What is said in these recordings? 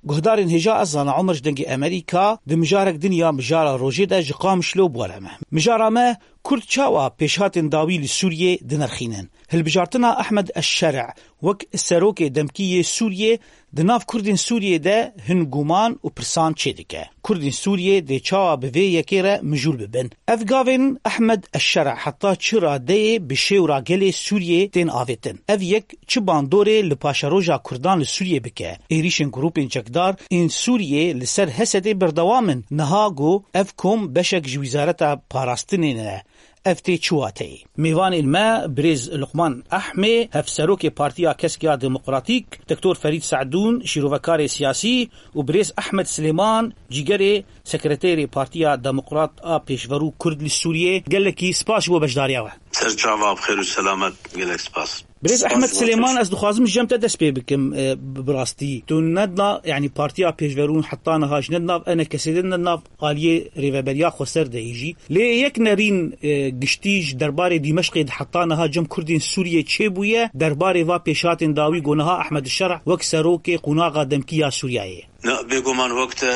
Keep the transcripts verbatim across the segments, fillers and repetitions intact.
Guhdarên hêja ez zana Omer ji Dengê Amerîka di mijarek din ya mijara rojê de ji Qamişlo bi we re me. Mijara me, Kurd çawa pêşhatên dawî li Sûriyê dinirxînin? Hilbijartina Ehmed Eşşer'a wek serokê demkî yê Sûriyê di nav Kurdên Sûriyê de hin guman û pirsan çêdike. Kurdên Sûriyê dê çawa bi vê yekê re mijûl bibin? Ev gavên Ehmed Eşşer'a heta çi radeyê bi şêwra gelê Sûriyê tên avêtin? Ev yek çi bandorê li paşeroja Kurdan li Sûriyê bike? Êrîşên grûpên çekdar ên Sûriyê li ser Hesedê berdewam in. Niha ku ev kom beşek ji Wizareta Parastinê ne, ev tê çi wateyê? Mêvanên me, birêz Luqman Ehmê, hevserokê Partiya Kesk ya Demokratîk, Doktor Ferîd Se'dûn, şîrovekarê siyasî û birêz Ehmed Silêman, cîgerê sekreterê Partiya Demokrat a Pêşverû Kurd li Sûriyê. Gelekî spas ji bo beşdariya we. Ser çava bi xêr û selamet, gelek spas. Birêz Spas Ehmed ji bo Silêman, pêş- ez dixwazim ji cem te dest pê bikim, e, bi, bi rastî. Tu nedna, yanî Partiya Pêşverûn heta niha ji nednav E N K'ê de, nednav aliyê Rêveberiya Xweser de yî jî. Lê yek nerîn, e, giştî ji derbarê Dîmeşqê de heta niha cem Kurdên Sûriyê çêbûye, derbarê va pêşhatên dawî ku niha Ehmed Şer'a wek serokê qonaxa demkî ya Sûriyeyê. Na, bêguman wek te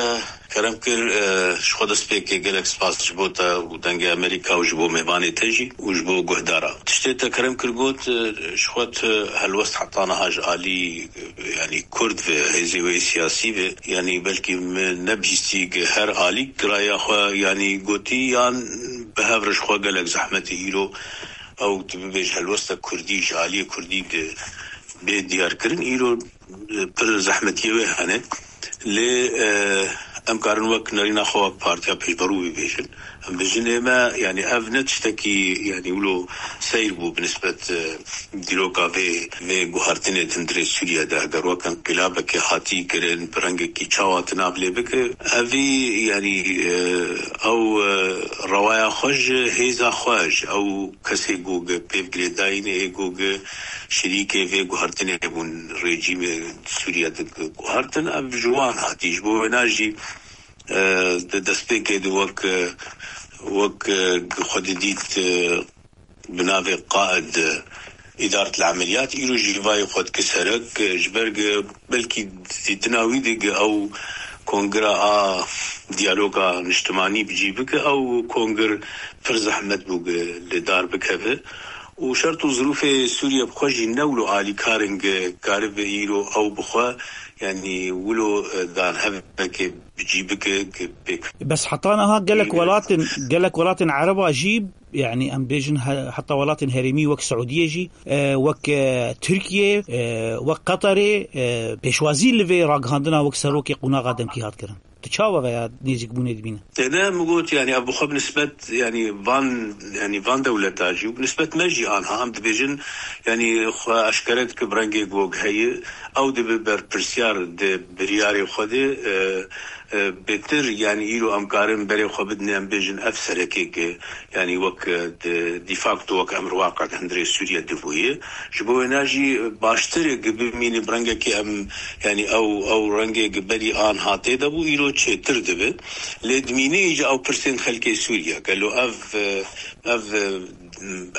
kerem kir, e, ji xwe destpêkê gelek spas ji bo te û Dengê Amerîka û ji bo mêvanê te jî û ji bo guhdara. Tiştê te kerem kir got, e, ji xwe tu helwest heta niha ji alî, e, yanî Kurd ve, hêzê wê siyasî ve, yanî belkî min nebihîstî gi her alî giraya xwe, yanî gotî yan bi hev re ji xwe gelek zehmet e îro ew tu bibêj helwesta Kurdî ji aliyê Kurdî di bê diyarkirin. Îro pir zehmetiyê wê hene. Lê, e, em karin wek nerîna xwe wek partiya pêşberû bibêjin. Em bêjin ê me, yanî ev ne tiştekî, yanî wilo seyr bû bi nisbet, e, dîroka vê, vê guhertinê di hundirê Sûriye de. Eger wek enqilabekê hatî kirin, bi rengekî çawa tu nav lê bike, evî, yanî, e, ew, e, rewaya xwe ji hêza xwe, ji ew kesê ku gi pêvgirêdayînê ê ku gi şirîkê vê guhertinê bûn, rejîmê Sûriye di guhertin, ev ji wan hatî. Ji bo wêna jî, e, di destpêkê de wek, e, wek, e, xwe didît, e, bi navê qaid, e, îdaret el emeliyat, îro jî vayê xwe dike serek, e, ji ber ge belkî dîtina wî de ge ew kongira a diyaloga niştimanî bi cî bike, ew kongir pir zehmet bû ge li dar bikeve. Û şert û zirûfê Sûriye bi xwe jî ne wilo alîkar in ge karibe îro ew bi xwe, yanî wilo, e, dan hevekê bi cî bike ge pêk. Bes heta niha gelek Î- welatên, gelek welatên Ereba jî, yanî em bêjin he-, heta welatên herêmî wek Siûdiyê jî, e, wek, e, Tirkiye, e, wek Qeterê, e, pêşwazî li vê ragihandina wek serokê qonaxa demkî hat kirin. Tu çawa veya nêzîkbûnê dibîne? Têde min got, yanî ev bi xwe bi nisbet, yanî van, yanî van dewleta jî û bi nisbet me jî anha em dibêjin, yanî xwe eşkere dike bi rengê gog heye, ew dibe berpirsiyar di biryarê xwe de, e, e, bêtir, yanî îro em karin berê xwe bidin, em bêjin ev serekê ke, yanî wek, e, di, de facto wek emr waqe di hundirê Sûriye dibûye. Ji bo wêna jî baştir e ke bimîne bi rengekê em, yanî ew, ew rengê ke berî an hatê de bû, îro çêtir dibe. Lê dimîne jî ew pirsên xelkê Sûriye. Gelo ev, e, ev, e,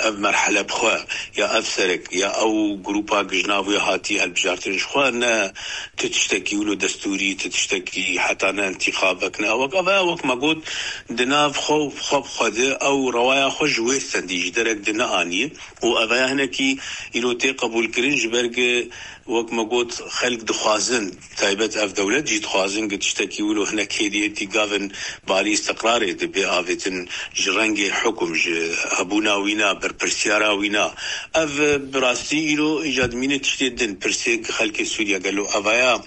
ev merhele bi xwe, ya ev serek, ya ew grûpa ku ji nav wê hatî hilbijartin ji xwe ne tu tiştekî wilo destûrî, tu tiştekî heta ne întîxabek ne. Wek ev e, wek me got, di nav xwe, xwe bi xwe de ew rewaya xwe ji wê sendî ji derek de neanî. Û ev e hinekî îro tê qebûlkirin ji ber ku wek me got, xelk dixwazin, taybet ev dewlet jî dixwazin ku tiştekî wilo hinek hêdî hêdî gavin barî îstiqrarê dibe avêtin ji rengê hukum, ji hebûna wîna, berpirsiyara wîna. Ev, bi rastî îro îca dimîne tiştê din, pirsê ku xelkê Sûriye gelo evaya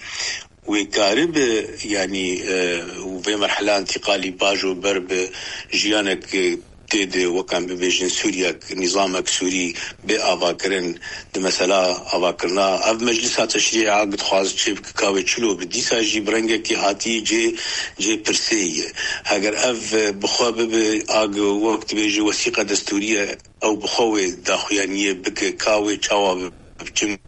wê karibe, yanî, e, û vê merhela întîqalî bajo ber bi jiyanek, e, tê de, wek em bibêjin, Sûriyek, nîzamek Sûrî bê avakirin, di mesela avakirina ev meclisa teşrî a dixwaz çê bike ka wê çilo bi. Dîsa jî bi rengekî hatî cê, cê pirsê ye. Heger ev, e, bi xwe bibe, a, wek dibêje, wesîqa destûrî ye, ew bi xwe wê daxuyaniyê bike, ka wê çawa bi, bi çi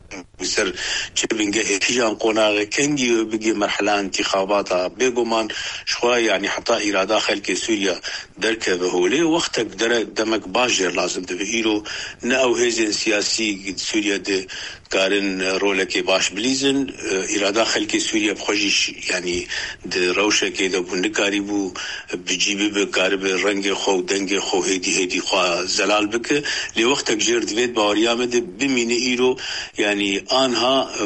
Li ser çi bingehê, kîjan qonaxê, kengî wê bigê merhela întîxabata. Bêguman ji xwe, yanî heta îrada xelkê Sûriye derkeve holê, wextek dere demek baş jê lazim dibe. Îro ne ew hêzên siyasî di Sûriye de karin rolekê baş bilîzin. Îrada xelkê Sûriye bi xwe jî ş-, yanî di rewşekê de bû, nikarîbû bi cî bibe, karibe rengê xwe û dengê xwe hêdî hêdî xwe zelal bike. Lê wextek jêr divê di baweriya me de bimîne îro, yanî anha, e,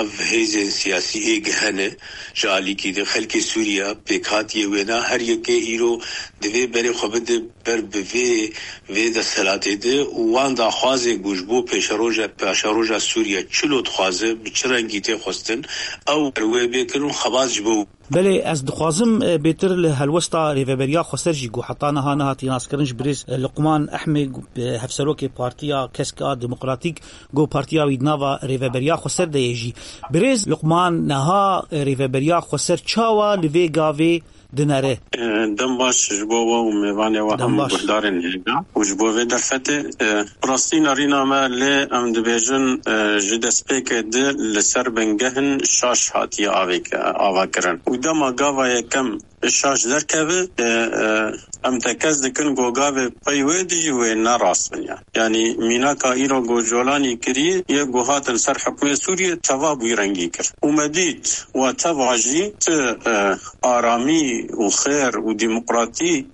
ev hêzên siyasî ê gehene ji alîkî de xelkê Sûriye pêkhatiyê wêna her yekê îro divê berê xwe bide ber bi vê, vê desthilatê de û wan daxwazê ku ji bo pêşeroja, paşeroja Sûriye çilo dixwaze, bi çi rengî tê xwestin, ew ber wê bêkin û xebat ji bo Belê, ez dixwazim, e, bêtir li helwesta Rêveberiya Xweser jî ku heta niha nehatiye naskirin ji birêz, e, Luqman Ehmê, e, hevserokê Partiya Kesk a Demokratîk, ku partiya wî di nava Rêveberiya Xweser de ye jî. Birêz Luqman, niha, e, Rêveberiya Xweser çawa li vê gavê dinere? E, dem baş ji bo we û mêvanê we Dem hemû baş. Guhdarên hêja û ji bo vê derfetê, e, bi rastî nerîna me lê em dibêjin, e, ji destpêkê di li ser bingehin şaş hatiye avêk-, ava kirin. Û dema gava yekem şaş derkeve, e, e, em tekez dikin ku gavê pey wê dijî wê ne rast bin ya. Yanî mînaka îro ku Colanî kirî yê ku hatin ser hikmê Sûriyê teva bûyî rengî kir. Û me dît we teva jî ti, e, aramî û xêr û demokratî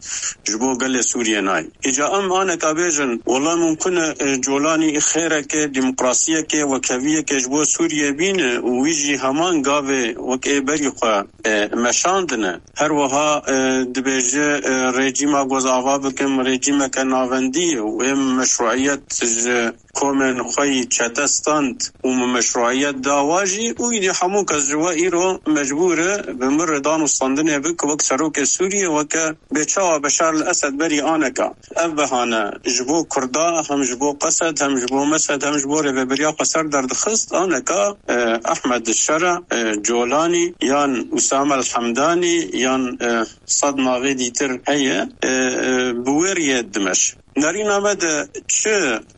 ji bo gelê Sûriyê nayê. Îca em aneka bêjin, wela mumkin e, e, Colanî xêreke, demokrasiyeke, wekheviyeke ji bo Sûriyê bîne û wî jî heman gavê wek ê berî xwe, e, meşandine. Her wiha, e, dibêje, e, rejîma ku ez ava bikim, rejîmeke navendî ye û ê meşruiyet ji komên xwe yî çete stand û min meşruiyet da wa jî û îdî hemû kes ji we îro mecbûr e bi min re dan û standinê bike wek serokê Sûriyê, weke bê çawa Beşar el Esed berî aneka. Ev behane ji bo Kurda, hem ji bo Qesed, hem ji bo Mesed, hem ji bo Rêveberiya Xweser derdixist, aneka, e, Ehmed Şera, e, Colanî yan Usame el Hemdanî yan, e, sed navê dîtir heye, e, e, bi wê riyê dimeş. Nerîna me de çi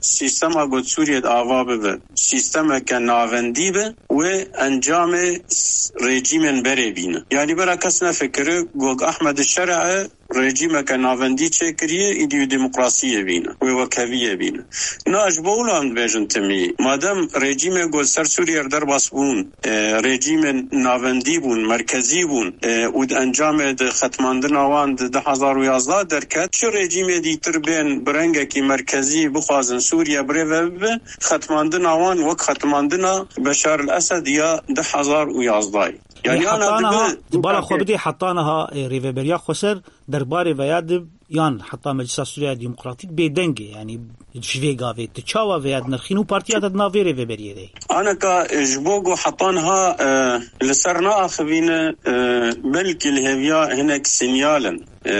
sîstema got Sûriyê de ava bibe, sîstemeke navendî be, wê encamê s-, rejîmên berê bîne. Yanî bera kes nefikire, got Ahmed Şer'e rejîmeke navendî çêkiriye, îdî û demokrasiyê bîne, wê wekheviyê bîne. Na ji bo wilo em dibêjin timî. Madem rejîmê got ser Sûriyê re derbas bûn, e, rejîmên navendî bûn, merkezî bûn, e, û di encamê di xetmandina wan di du hezar û yazdeh derket, çi rejîmê dîtir bên bi rengekî merkezî bixwazin Sûriye birêve bibe, xetmandina wan wek xetmandina Beşar el Esed ya du hezar û yazdeh. Yanî Lê ana heta dibe niha, di bala xwe bidê heta niha, e, Rêveberiya Xweser derbarê veya di yan heta Meclisa Sûriya Demokratîk bêdeng e, yanî ji vê gavê tu çawa vêya dinirxîn û partiya te di nav vê rêveberiyê de ye? Aneka, e, ji bo ku heta niha, e, li ser neaxivîne, e, belkî li hêviya hinek sinyal in. E,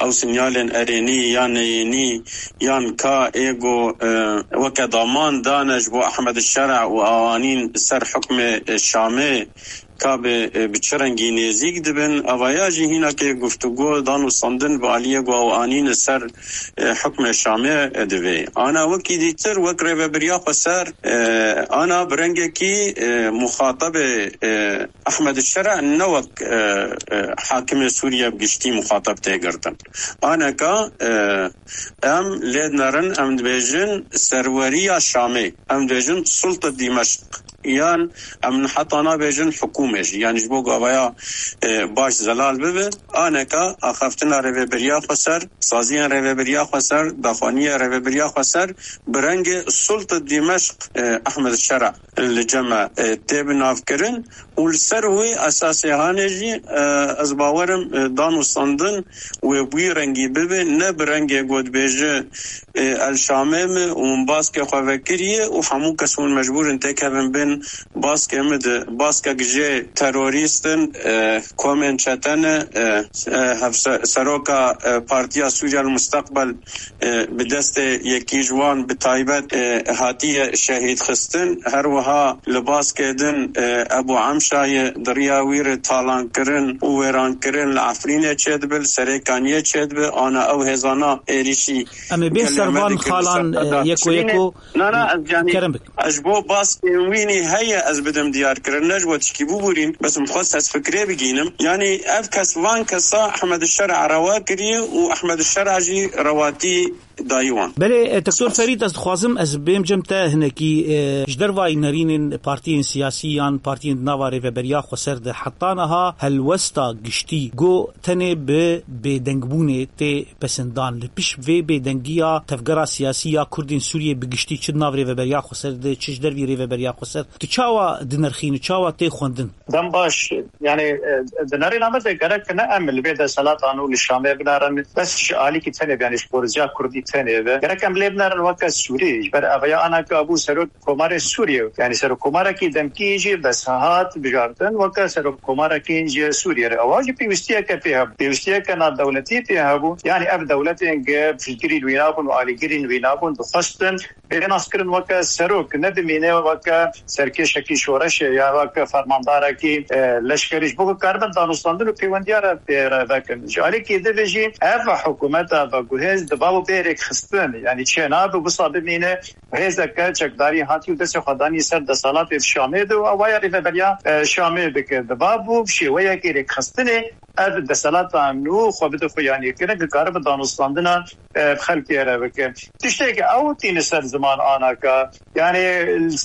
ew sinyalên erênî yan neyênî yan ka ê ku, e, weke daman dane ji bo Ehmed Şera û awanîn ser hukmê, e, Şamê, ka bi, e, bi çi rengî nêzîk dibin, ava ya jî hînakê guftûgo dan û standin bi aliyê ku ew anîne ser, e, hukmê Şamê, e, divê. Ana wekî dîtir, wek rêvebiriya xweser, e, ana bi rengekî, e, muxatabê, e, Ehmed Şera ne wek, e, e, hakimê Sûriye bi giştî muxatab tê girtin. Aneka, e, em lê dinerin, em dibêjin serweriya Şamê, em dibêjin sulta Dîmeşq. Yan em heta nabêjin hikûmê jî. Yanî ji bo gavaya, e, baş zelal bibe, aneka axaftina rêveberiya xweser, saziyên rêveberiya xweser, daxwaniya rêveberiya xweser bi rengê sulta Dîmeşq, e, Ehmed Şera li cem me, e, tê binavkirin û li ser wê esasê hanê jî, e, ez bawerim, e, dan û standin wê bi wî rengî bibe, ne bi rengê got bêje, e, El Şamê me û min baskê xwe vekiriye û hemû kes hûn mecbûr in têkevin bin baskê me de. Baskek jê terorîst in, e, komên çete ne, e, e, hevse-, seroka, e, Partiya Sûriya El Musteqbel, e, bi destê yekî ji wan bi taybet, e, hatiye şehîd xistin. Her wiha li baskê din, e, Ebu Emş Şayê di riya wî re talankirin û wêrankirin li Efrînê çêdibe, li Serêkaniyê çêdibe, ana ew hêzana êrîşî Em ê bê gelê me servan dikin li xalan, ser e, yeko Efrînê. Yeko, Na, na, ez, yanî, kerem bik. Ez ji bo baskên wî nî heye ez bidim diyarkirin, ne ji bo tişkî bibûrîn, bes min xwest ez fikirê bigînim. Yanî ev kes, van kesa Ehmed Şer rewa kiriye û Ehmed Şer jî rewatî dayî wan. Belê, e, Doktor Spas. Ferîd, ez dixwazim ez bêm cem te hinekî, e, ji dervayî nerînên partiyên siyasî yan partiyên di nava Rêveberiya Xweser de heta niha helwesta giştî ku tenê bi bêdengbûnê tê pesindan. Li pişt vê bêdengiya tevgera siyasî ya Kurdên Sûriyê bi giştî, çi di nav Rêveberiya Xweser de, çi ji dervî Rêveberiya Xweser, tu çawa dinirxînî, çawa tê xwendin? Dem baş, yani, e, di nerîna me de gerek ne em li vê deselata nû li Şamê binerin, bes ji alîkî tenê be, yani ji xorica Kurdî tenê be. Gerek em lê binerin weke Sûrî, ji ber ev ya ana ke bû serok Komarê Sûriyê, yani serokkomarekî demkî jî bes hat bijartin weke serokkomarekî ji Sûriyê re. Ewa jî pêwîstiyeke pê hebû. Pêwîstiyeke navdewletî pê hebû. Yani ev dewletên ge piştgirî wî nabûn û alîgirî wî nabûn, dixwestin bê naskirin weke serok, ne bimîne weke serkêşekî şoreşê ya weke fermandarekî, e, leşkerî. Ji bo ku karibin danûstandin û pêwendiya re pê re vekin. Ji alîkî di ve jî ev hikûmeta veguhêz di bav û bê rêkxistin, yani çênabe wisa bimîne. Hêzeke çekdarî hatî û destê xwe danî ser deselatê di Şamê de û ew waya rêveberiya, e, Şamê dike. Diba bû şêweyekê rêkxistinê ev deselata nû xwe bide xuyanîkirin, ki karibe danûstandina, e, bi xelkê re bike. Tişteke ew tîne ser ziman anaka. Yani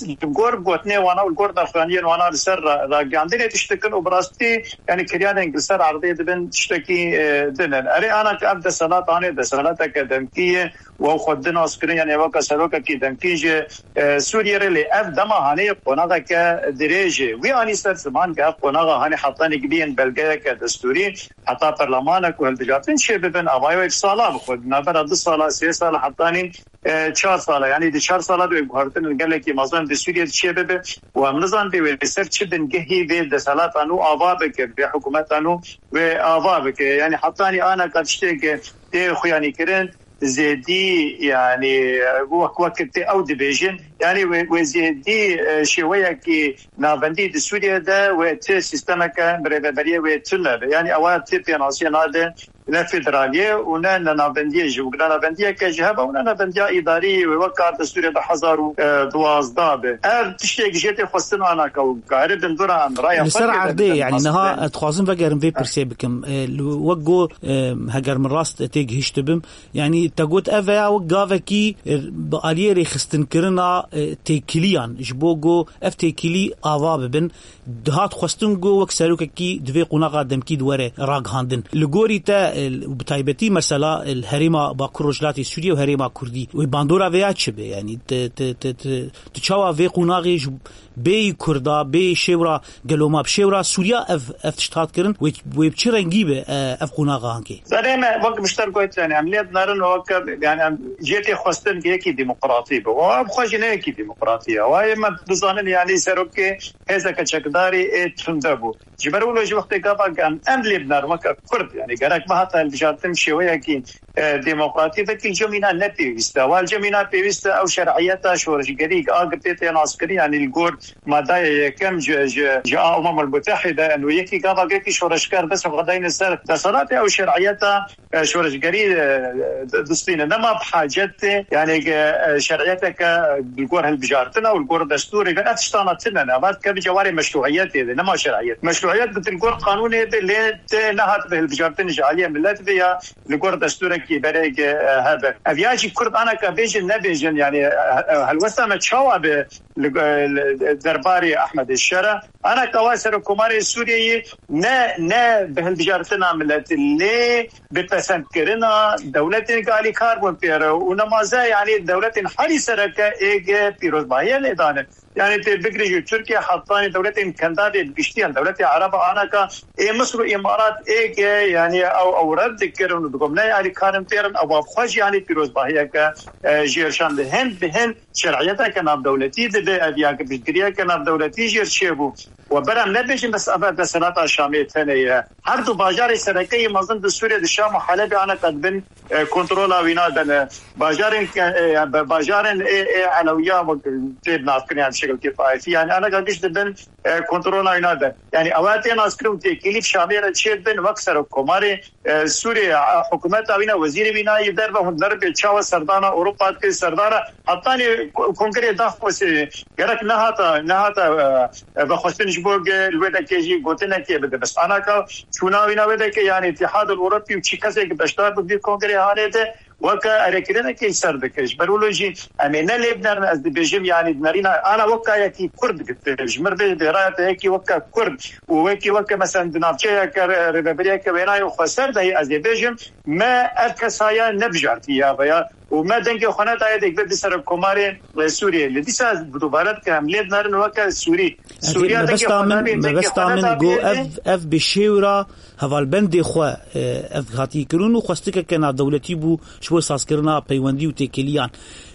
li gor gotinê wana û li gor daxuyaniyên wana li ser ra-, ragihandinê tiştekin û bi rastî, yani, kiryarên li ser erdê dibin tiştekî, e, din in. Erê anaka ev deselat anê, deselateke demkî ye. Û ew xwe di nas kirin, yanî weke serokekî demkî ji, e, Sûriyê re, lê ev dema hanê qonaxeke dirêj e. Wî anî ser ziman ke ev qonaxa hanê hetanî biyên belgeyeke destûrî, heta perlemanek û hilbijartin çê bibin, ava wek sala bi xwe, di navbera du sala, sê sala, hetanî, e, çar sala, yanî di çar sala de wê guhertin gelekî mezin di Sûriyê de çê bibe û em nizan bê wê ser çi bingehî vê deselata nû ava bike, vê hikûmeta nû wê ava bike. Yanî hetanî anaka tiştê ke tê xuyanîkirin, zêdî, yanî, wek, wek tê ew dibêjin, yanî wê, wê zêdî, e, şêweyekî navendî di Sûriyê de wê ti sîstemeke bi rêveberiyê wê tune be. Yanî ewa ti pênasiyê nade ne federaliyê û ne, ne navendiyê ji, ne navendiyeke ji hebe û ne navendiya îdarî wê wek kar destûrê du hezar û duwazdeh be. Ev tiştek jê tê xwestin anaka û karibin dura em raya Li ser xwe tê de erdê, bidin, yanî niha ez dixwazim vegerim vê pirsê bikim. E, li wek got, e, heger min rast têgihiştibim, yanî te got ev veya wek gavekî, e, bi aliyê rêxistinkirina, e, têkiliyan, ji bo ku ev têkilî ava bibin, dihat xwestin ku wek serokekî di vê qonaxa demkî di were ragihandin. Li gorî te, e, bi taybetî mesela, e, li herêma Bakur Rojhilatê Sûriyê û herêma Kurdî, wê bandora vêya çi be? Yanî te, te, te, te, tu çawa vê qonaxê ji bêyî Kurda, bêyî şêwra gelo ma bi şêwra Sûriya ev, ev tişt hat kirin, wê, wê bi çi rengî be, e, ev qonaxa ankê? Serê me, wek mişter got, yani em lê dinerin, wek, yani em jê tê xwestin ki yekî demokratî be. Wa bi xwe jî ne yekî demokratî ye. Wa yê me bizanin, yani serokê hêzeke çekdarî ê tunde bû. Ji ber wilo jî wextê gava em, em lê binerin weke Kurd, yani gerek me hata hilbijartin şêweyekî, e, demokratî, vekî li cem îna ne pêwîst e. Wa li cem îna pêwîst e ew şer'iyeta şoreşgerî a ki pê tê naskirin, yani li gor madaya yekem ji, ji, ji a Umemul Mutehide, û yekî gava yekî şoreşger dest xwe dayne ser deselatê ew şer'iyeta, e, şoreşgerî, e, distîne. Nema bi hacet tê, yani, e, şer'iyeteke li gor hilbijartina û li gor destûrê ve ev tiştana tine ne. Vat ke bi cewarê meşruiyetê de, nema şer'iyet. Meşruiyet bi li gor qanûnê de lê tê nehat bi hilbijartin ji aliyê millet ve ya li gor destûrekî berê ke, e, hebe. Ev ya jî Kurd anaka bêjin nebêjin, yani, e, e, helwesta me çawa bi li, li derbarê Ehmedê Şera. Anaka wa Serokkomarê Sûriyeyê ne, ne bi hilbijartina milletî lê bi pesendkirina dewletên ku alîkar bûn pê re û nemaze, yani dewletên herî sereke ê ge pîrozbahiye lê dane. Yani tê bigirî ji Tirkiye hetanî dewletên Kendavê bi giştî, yani dewletê Ereba anaka ê Misir û Îmarat ê ge, yani ew, ew red dikirin û digot ne alîkarin pê re, ew bi xwe jî yani pîrozbahiyeke, e, jêr şandin. Hin bi hin şer'iyeteke navdewletî dibe, ev ya ki piştgiriyeke navdewletî jê re çêbû. We berem nebêjin bes ev desenata Şamê tenê ye. Her du bajarê sereke yê mezin di Sûriyê, di Şam û Helebê aneka dibin, e, kontrola wîna de ne. Bajarên ke, e, be-, bajarên ê, ê Elewiya wek tê navkirin, yani şekilkê Taifî, yani aneka giş dibin, e, kontrola wîna de. Yanî ew tê naskirin û têkilî bi Şamê re çêdibin wek serokkomarê, e, Sûriyê, e, hikûmeta wîna, wezîrê wîna yê derve hûn derbê çawa serdana Ewropa dike, serdana hetanî ko-, kongrê daxwazê gerek nehata, nehata, e, e, vexwestin ji bo ge-, li wê dekê jî gotinekê bide. Bes anaka çûna wîna wê dekê, yanî Îtîhadul Ewropî û çi kesek beşdar bi vî kongrê hanê de, weke erêkirinekê ser dike. Ji ber wilo jî em ê ne lê binerin, ez dibêjim, yanî dinerîna ana weka yekî Kurd dikir. Ji mir bê, bê raya te yekî weke Kurd û wekî weke, mesela, di navçeyeke re-, rêvebiriyeke wênayê xweser de ye, ez ê bêjim, me ev kesaya nebijartiye ya veya û me dengê xwe nedaye dek be di serokkomarê, e, Sûriyê. Li dîsa ez bi dubare dikim, em lê binerin weke Sûrî. Ez ê Sûriya dengê mebesta xwe min, nabê, dengê mebesta xwe min nedaye go dê. Ev, ev bi şêwra hevalbendê xwe, e, ev hatî kirin û xwestikeke navdewletî bû ji bo sazkirina peywendî û têkiliyan.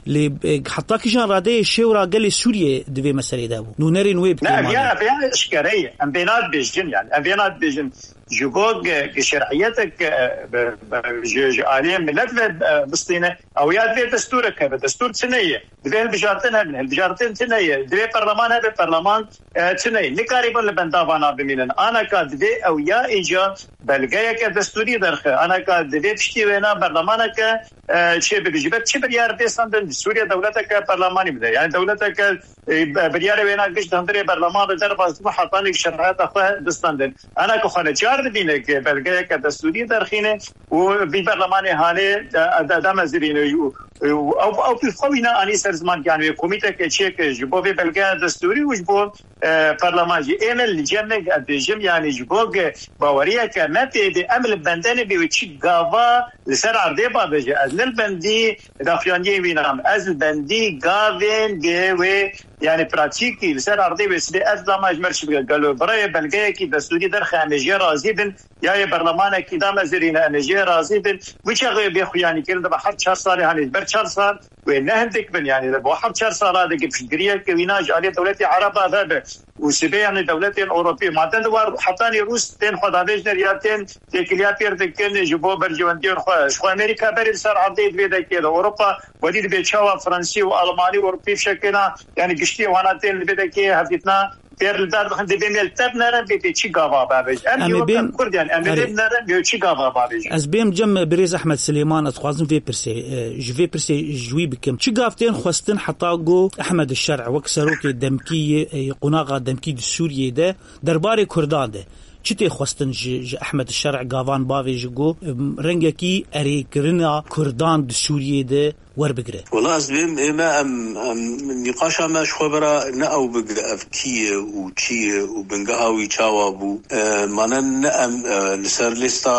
Lê, e, heta kîjan radeyê şêwra gelê Sûriyê di vê meselê de bû? Nûnerên wê bi Ne, kêmanê. Vêya, vêya eşkere ye. Em vêna dibêjin, yani. Em vêna dibêjin. Ji bo ge-, ge şer'iyetek, e, be, be, ji, ji aliyê millet ve, e, bistîne. Ew ya divê destûrek hebe. Destûr çi ne ye? Divê hilbijartin hebin. Hilbijartin çi ne ye? Divê perleman hebe. Perleman, e, çi ne ye? Nikarîbin li benda vana bimînin. Anaka divê ew ya îca belgeyeke destûrî derxe. Anaka divê piştî wêna berlemaneke, e, çê bibe. Ji ber çi biryar tê standin? Sûriye dewleteke perlemanî bide. Yani dewleteke, e, be-, biryarê wêna giş di hundirê berleman de derbas bû, hetanî şer'iyeta xwe bistandin. Ana ku xwe neçar dibîne ku belgeyeke destûrî derxîne û vî berlemanê hanê, e, de-, demezirîne û, û ew, ew pî xwe wîna anî ser ziman, yani wê komîteke çêke ji bo vê belgeya destûrî û ji bo, e, perleman jî. Ê me li cem me, ez bêjim, yani ji bo ku baweriyeke me pê bê, em li bendene bê wê çi gava li ser erdê bavêje. Ez ne li bendî daxuyaniyê wî nam. Ez li bendî gavên dê wê, yani pratîkî li ser erdê wê sibê ez dama ji me re çi bike. Gelo birayê belgeyekî destûrî derxe, em ê jê razî bin, ya yê berlemanekî damezirîne, em ê jê razî bin. Wî çaxê bê xuyanî kirin, dibe her çar salê, hani ber çar sal wê ne hindik bin, yani bo her çar sala de piştgiriyeke wîna ji aliyê dewletê Ereba vebe. Û sibê, yani dewletên Ewropî, madem di war hetanî Rûs tên xwe davêjner ya tên têkiliya pêr dikin ji bo berjewendiyên xwe. Ji xwe Amerîka berê li ser erdê di vê dekê de, Ewropa wedî dibe çawa Fransî û Almanî û Ewropî fişekêna, yani giştî wana tên li vê dekê hevdîtina pêr li dar dixin, dibê me li te binerin, bê tê çi gava bavêj. Em Em ê ê weke bên Kurd, yani em ê Erê. Lê binerin, bê çi gava bavêj. Ez bêm cem birêz Ehmed Silêman, ez dixwazim vê pirsê, e, ji vê pirsê ji wî bikim. Çi gav tên xwestin heta go Ehmed Şer'e wek serokê demkî yê, e, qonaxa demkî di Sûriyê de derbarê Kurdan de? Çi tê xwestin ji, ji Ehmed Şer'e gavan bavê ji go, em, rengekî erêkirina Kurdan di Sûriyê de werbigire? Wela ez dibêm ê me em, em nîqaşa me ji xwe bira ne ew bigire ev kî ye û çi ye û bingeha wî çawa bû. E, mane ne em, e, li ser lêsta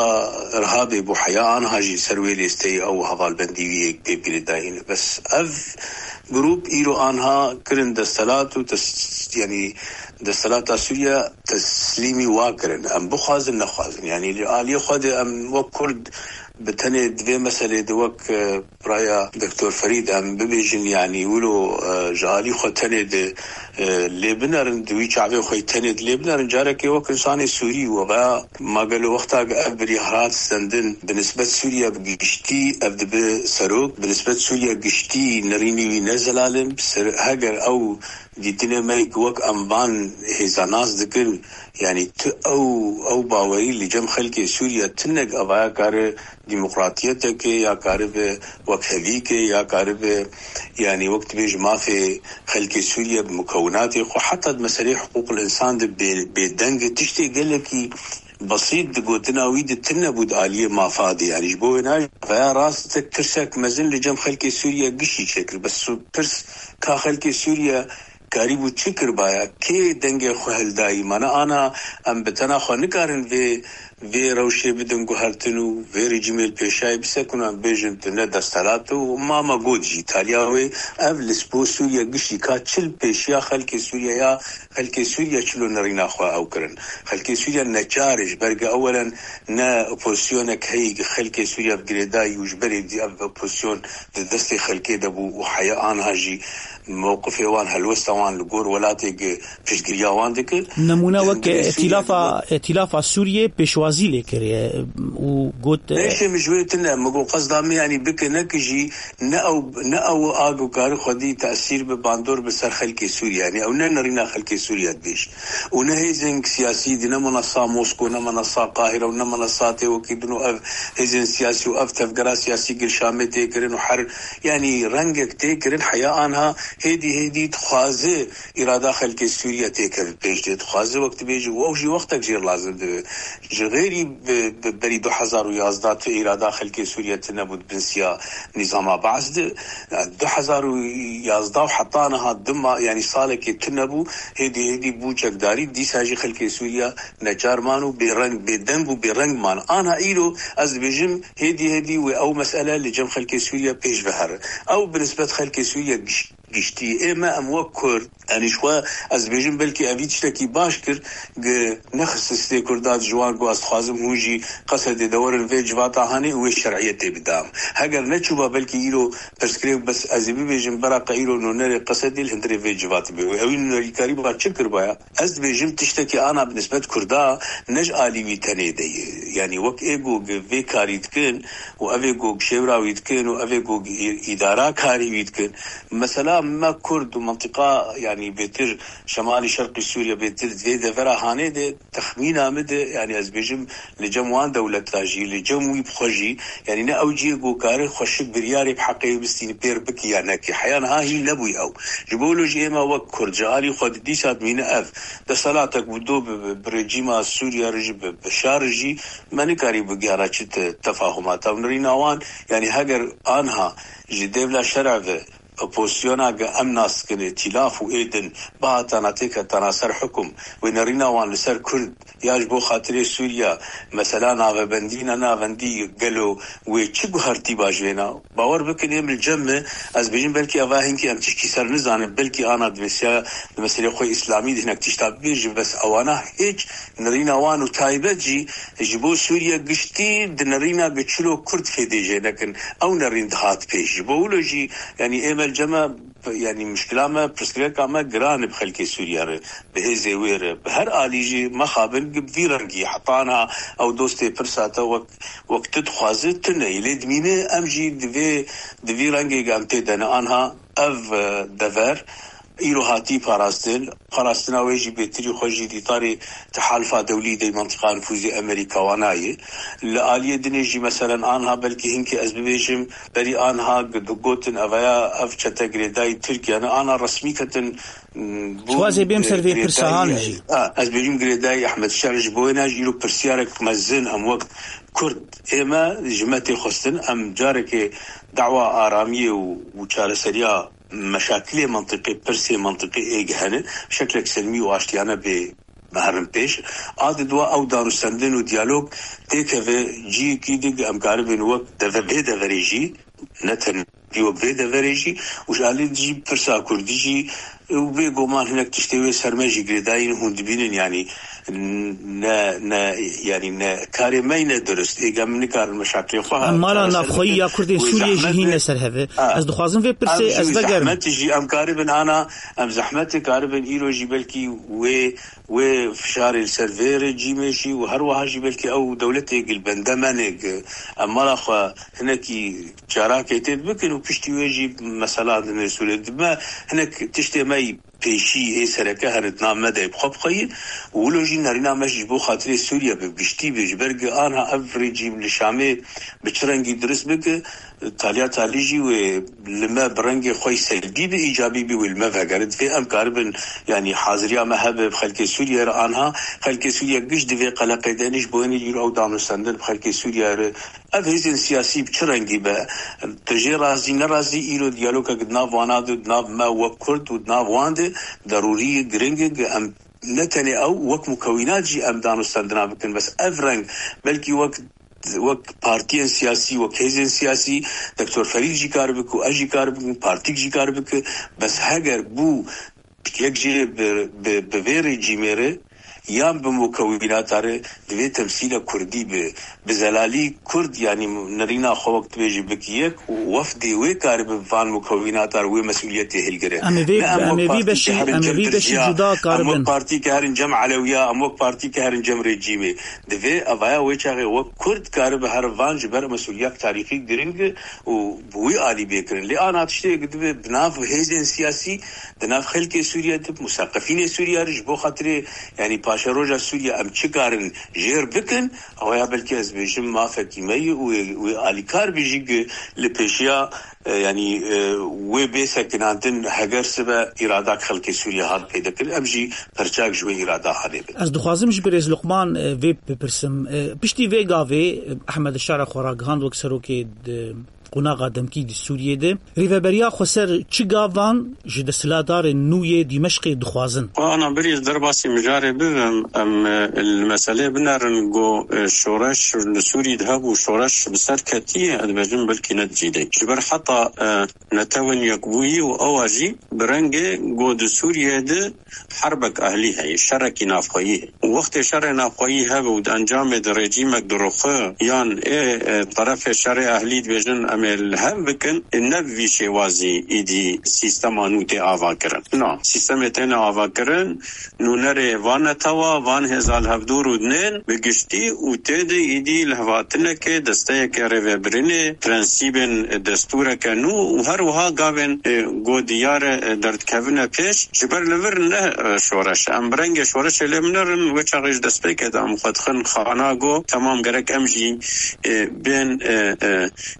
Irhabê bû, heya anha jî ser wê lêsteyê ew hevalbendî wî yek pê girêdayî ne. Bes ev grûp îro anha kirin destelat û tes-, yanî destelata Sûriye teslîmî wa kirin. Em bixwazin nexwazin. Yanî li aliyê xwe de em wek Kurd bi tenê di vê meselê de wek, e, Raya Doktor Ferîd em bibêjin, yanî wilo, e, ji alî xwe tenê di, e, lê binerin, di wî çavê xwe tenê di lê binerin, carekê wek insanê Sûrî û ve ma gelo wexta ev biryar hat stendin, bi nisbet Sûriye bi giştî ev dibe serok, bi nisbet Sûriye giştî nerînî wî ne zelalin, ser-, heger ew dîtinê me ku wek em van hêza nas dikin, yanî tu ew, ew bawerî li cem xelkê Sûriye tinek evaya kare demokratiyeteke ya karibe wekhevîke ya karibe, yanî wek dibêje mafê xelkê Sûriye bi mukewinatê xwe, heta di meseleyê hiqûqil însan de bê-, bêdeng e. Tiştê gelekî besît di gotina wî de tune bû di aliyê mafa de. Yanî ji bo wêna veya rastek tirsek mezin li cem xelkê Sûriye gişî çêkir. Bes su-, pirs ka xelkê Sûriye karîbû çi kiribaya? Kê dengê xwe hildayî? Mane ana em bi tena xwe nikarin vê, vê rewşê bidin guhertin û vê rejîmê li pêşayê bisekun, em bêjin tu ne destelat û ma me got jî taliya wê ev li bo Sûriye gişî ka çi li pêşiya xelkê Sûriye ya xelkê Sûriye çilo nerîna xwe ew kirin. Xelkê Sûriye neçar e, ji ber ku ewelen ne opozîsyonek heyî ku xelkê Sûriye bi girêdayî û ji berê dî ev opozîsyon di destê xelkê de bû û heya anha jî mewqifê wan helwesta wan li gor welatê gi piştgiriya wan dike. Nemûne wek Di vê Sûriye îtîlafa, îtîlafa Sûriyê pêşwazî lê kiriye û got, Neyşê min ji wê tune, min got qesda min, yanî bike, ne ki jî ne ew, ne ew a ku kari xwedî tesîr bi bandor bi ser xelkê Sûriye. Yanî ew ne nerîna xelkê Sûriye dibêj. Û ne hêzên siyasî di, ne minasa Mosko, ne minasa Qahire û ne minasa tê wekî din û ev hêzên siyasî û ev tevgera siyasî gir Şamê tê kirin û her, yanî rengek tê kirin, heya anha hêdî hêdî dixwaze îrada xelkê Sûriye têkeve pêş dê. Dixwaze wek dibêje û ew jî wextek jêr lazim dibe. Ji xêrî bi, bi berî du hezar û yazdeh tu îrada xelkê Sûriye tune bû di bin siya nîzama Baas de. Yani du hezar û yazdeh û heta niha dima, yani salekê tune bû, hêdî hêdî bû çekdarî, dîsa jî xelkê Sûriye neçar man û bêreng, bêdeng û bêreng man. Anha îro ez dibêjim hêdî hêdî wê ew mesele li cem xelkê Sûriye pêş ve here. Ew bi nisbet xelkê Sûriye giş-, giştî. Ê me em wek Kurd, yanî ji xwe ez dibêjim belkî evî tiştekî baş kir, gi nexist stê Kurda ji wan ku ez dixwazim hûn jî Qesedê de werin vê civata hanê û wê şer'iyetê bidam. Heger neçûba belkî îro pirsgirêk bes ez ê bibêjim beraqa îro nûnerê Qesedê li hundirê vê civatê bê. Û ewî nûnerîkarî ba çi kiribaya? Ez dibêjim tiştekî ana bi nisbet Kurda ne ji alî wî tenê de ye. Yanî wek ê ku gi vê karî dikin û ev ê ku şêwra wî dikin û ev ê ku î-, îdara karî wî dikin. Mesela me Kurd û mintiqa, yanî bêtir şemalî şerqî Sûriye, bêtir vê devera hanê de texmîna min de, yanî ez bêjim li cem wan dewleta jî, li cem wî bi xwe jî, yanî ne ew cihê ku kare xweşik biryarê bi heqê bistîne pêr bike ya neke. Heya niha hîn nebûye ew. Ji bo wilo jî ême wek Kurd ji alî xwe di dîsa dimîne ev desthilatek bi do bi, bi, bi rejîma Sûriye re jî, bi, bi şer jî me nikarî bigihara çi te-, tefahumata. Nirîna wan, yanî heger anha ji dêvla şer'e ve opozisyona ge em nas dikin, îtîlaf û ê din bihatana têketana ser hukum, wê nerîna wan li ser Kurd ya ji bo xatirê Sûriya, mesela navebendî ne navendî, gelo wê çi guhertî ba ji wêna? Bawer bikin êm li cem me, ez bêjim belkî eva hinkî em tişkî ser nizanin, belkî ana di meseleya, di meselê xwe îslamî de hinek tişta bibêjin, bes ewana hêç nirîna wan û taybet jî ji bo Sûriye giştî di nerîna gi çilo Kurd fêdê jê nekin. Ew nerîn dihat pêş. Ji bo wilo jî, yanî ê me li cem me, yanî muşkila me, pirsgirêka me giran e bi xelkê Sûriye re, bi hêzê wê re. Bi her alî jî mexabin gi bi vî rengî heta niha ew dostê pirsa te wek, wek tu dixwaze tune ye. Lê dimîne em jî di vê, di vî rengê em tê de ne. Anha ev, e, dever îro hatî parastin. Parastina wê jî bêtirî xwe jî di îtarê Tehalifa Dewlî de Mentiqa Nifûzê Amerîka wana ye. Li aliyê dinê jî, meselen, anha belkî hinkî ez bibêjim, berî anha gi-, digotin evaya ev çete girêdayî Tirkiye ne, ana resmî ketin, m, bûn, Dixwazê bêm ser vê e, pirsa girêdayî, han jî. A, ez bêjim girêdayî Ehmed Şer, ji bo wêna jî îro pirsiyarek mezin em wek Kurd ê me ji me tê xwestin, em carekê dawa aramiyê û, û çareseriya meşakilê mentiqê, pirsê mentiqê ê gihene, şeklek selmî û aştiyane bê herin pêş. A di dua ew danûstendin û diyalog têkeve ciyekî din em karibin wek deve-, vê deverê jî, ne tenê wek vê deverê jî û ji alî jî pirsa kurdî jî û bê goman hinek tiştê wê ser me jî girêdayî ne hûn dibînin, yanî ne, ne, yanî ne karê me ne durust. Êga min nikarin meşakilê xwe Em mala çareser navxweyî bikin. Ya Kurdên Wê Sûriyê jî zehmet hîn e. Ne ser heve. Ha. Ez dixwazim vê pirsê Em jî ez vegerim. Zehmet jî em karibin ana, em zehmetê karibin îro jî belkî wê, wê fişarê li ser vê rejîmê jî û her wiha jî belkî ew dewletê gil bende me nêk. Em mala xwe hinekî çarakê tê bikin û piştî wê jî mesela dinê Sûriyê. Dime hinek tiştê me yî pêşî ê sereke here di nav me de bi xwe bixweyî û wilo jî nerîna me ji bo xatirê Sûriye bi giştî be. Ji ber ku anha ev rejîm li Şamê bi çi rengî dirust bike, taliya talî jî wê li me bi rengê xwe yî selbî be, îcabî be, wê li me vegere. Divê em karibin, yanî haziriya me hebe bi xelkê Sûriye re anha. Xelkê Sûriye giş di vê qeleqê de ne, ji bo hênî îro ew danûstendin bi xelkê Sûriye re. Ev hêzên siyasî bi çi rengî be, tu jê razî nerazî, îro diyalogek di nav wana de, di nav me wek Kurd û di nav wan de derûrî ye, giring e ku em ne tenê ew, wek mukewînat jî em danûstendina bikin. Bes ev reng belkî wek, wek partiyên siyasî, wek hêzên siyasî, Doktor Ferîd jî kar bike û ez jî kar bikim, partîk jî kar bike. Bes heger bû yek jê bi, bi, bi vê rejîmê re yan bi mukewînata re divê temsîla kurdî bi, bi zelalî kurd, yanî nerîna xwe wek dibêjî bik yek û wefdê wê karibe van mukewînata re wê mesûliyetê hilgire. Em ê vê, Ne em em wek ê vî partî beşî, ke herin em ê cem vî beşî tirciya, cuda em wek karibe. Partî ke herin cem Elewîya, em wek partî ke herin cem rejîmê. Divê evaya wê çaxê wek kurd karibe herin van ji ber mesûliyek tarîxî giring û bi wî alî bê kirin. Lê ana tiştê divê bi nav hêzên siyasî, di nav xelkê Sûriye de, musaqefînê Sûriye re ji bo xatirê, yanî paşeroja Sûriye em çi karin jêr bikin, ew ya belkî ez bêjim mafekî me ye û wê, wê alîkar bî jî gi-, li pêşiya, e, yanî, e, wê bê sekinandin heger sibe îradak xelkê Sûriye hat pêde kirin, em jî perçak ji wê îrada hanê bin. Ez dixwazim ji birêz Luqman, e, vê bipirsim. E, piştî vê gavê, e, Ehmed Şara xwe ragihand wek serokê di qonaxa demkî di Sûriyê de. Rêveberiya Xweser çi gavan ji desthilatdarên nû yê Dîmeşqê dixwazin? Xwe ana birîz derbasî mijarê bibim, em, e, li meselê binerin ku, e, şoreş li Sûrî de hebû, şoreş bi ser ketiye, ez dibêjim belkî ne di cî de. Ji ber heta, e, Netewên Yekbûyî û ewa jî bi rengê ku di Sûriyê de herbek ehlî heye, şerekî navxweyî heye. Û wextê şerê navxweyî hebe û di encamê de rejîmek diruxe yan ê, e, terefê şerê ehlî dibêjin em ê li hev bikin, e, ne bi vî şêwazî îdî sîstema nû tê avakirin. Na, sîstemê têne avakirin, nûnerê van netewa, van hêza li hevdû rûdinên bi giştî û tê de îdî lihevhatinekê, desteyeke rêvebirinê, prensîbên destûreke nû û her wiha gavên, e, ku diyar e, derdikevine pêş, ji ber li vir ne, e, şoreş e. Em bi rengê şoreşê lê binerin, wê çaxê ji destpêkê de em xwe dixin xana ku temam gerek em jî, e, bên, e,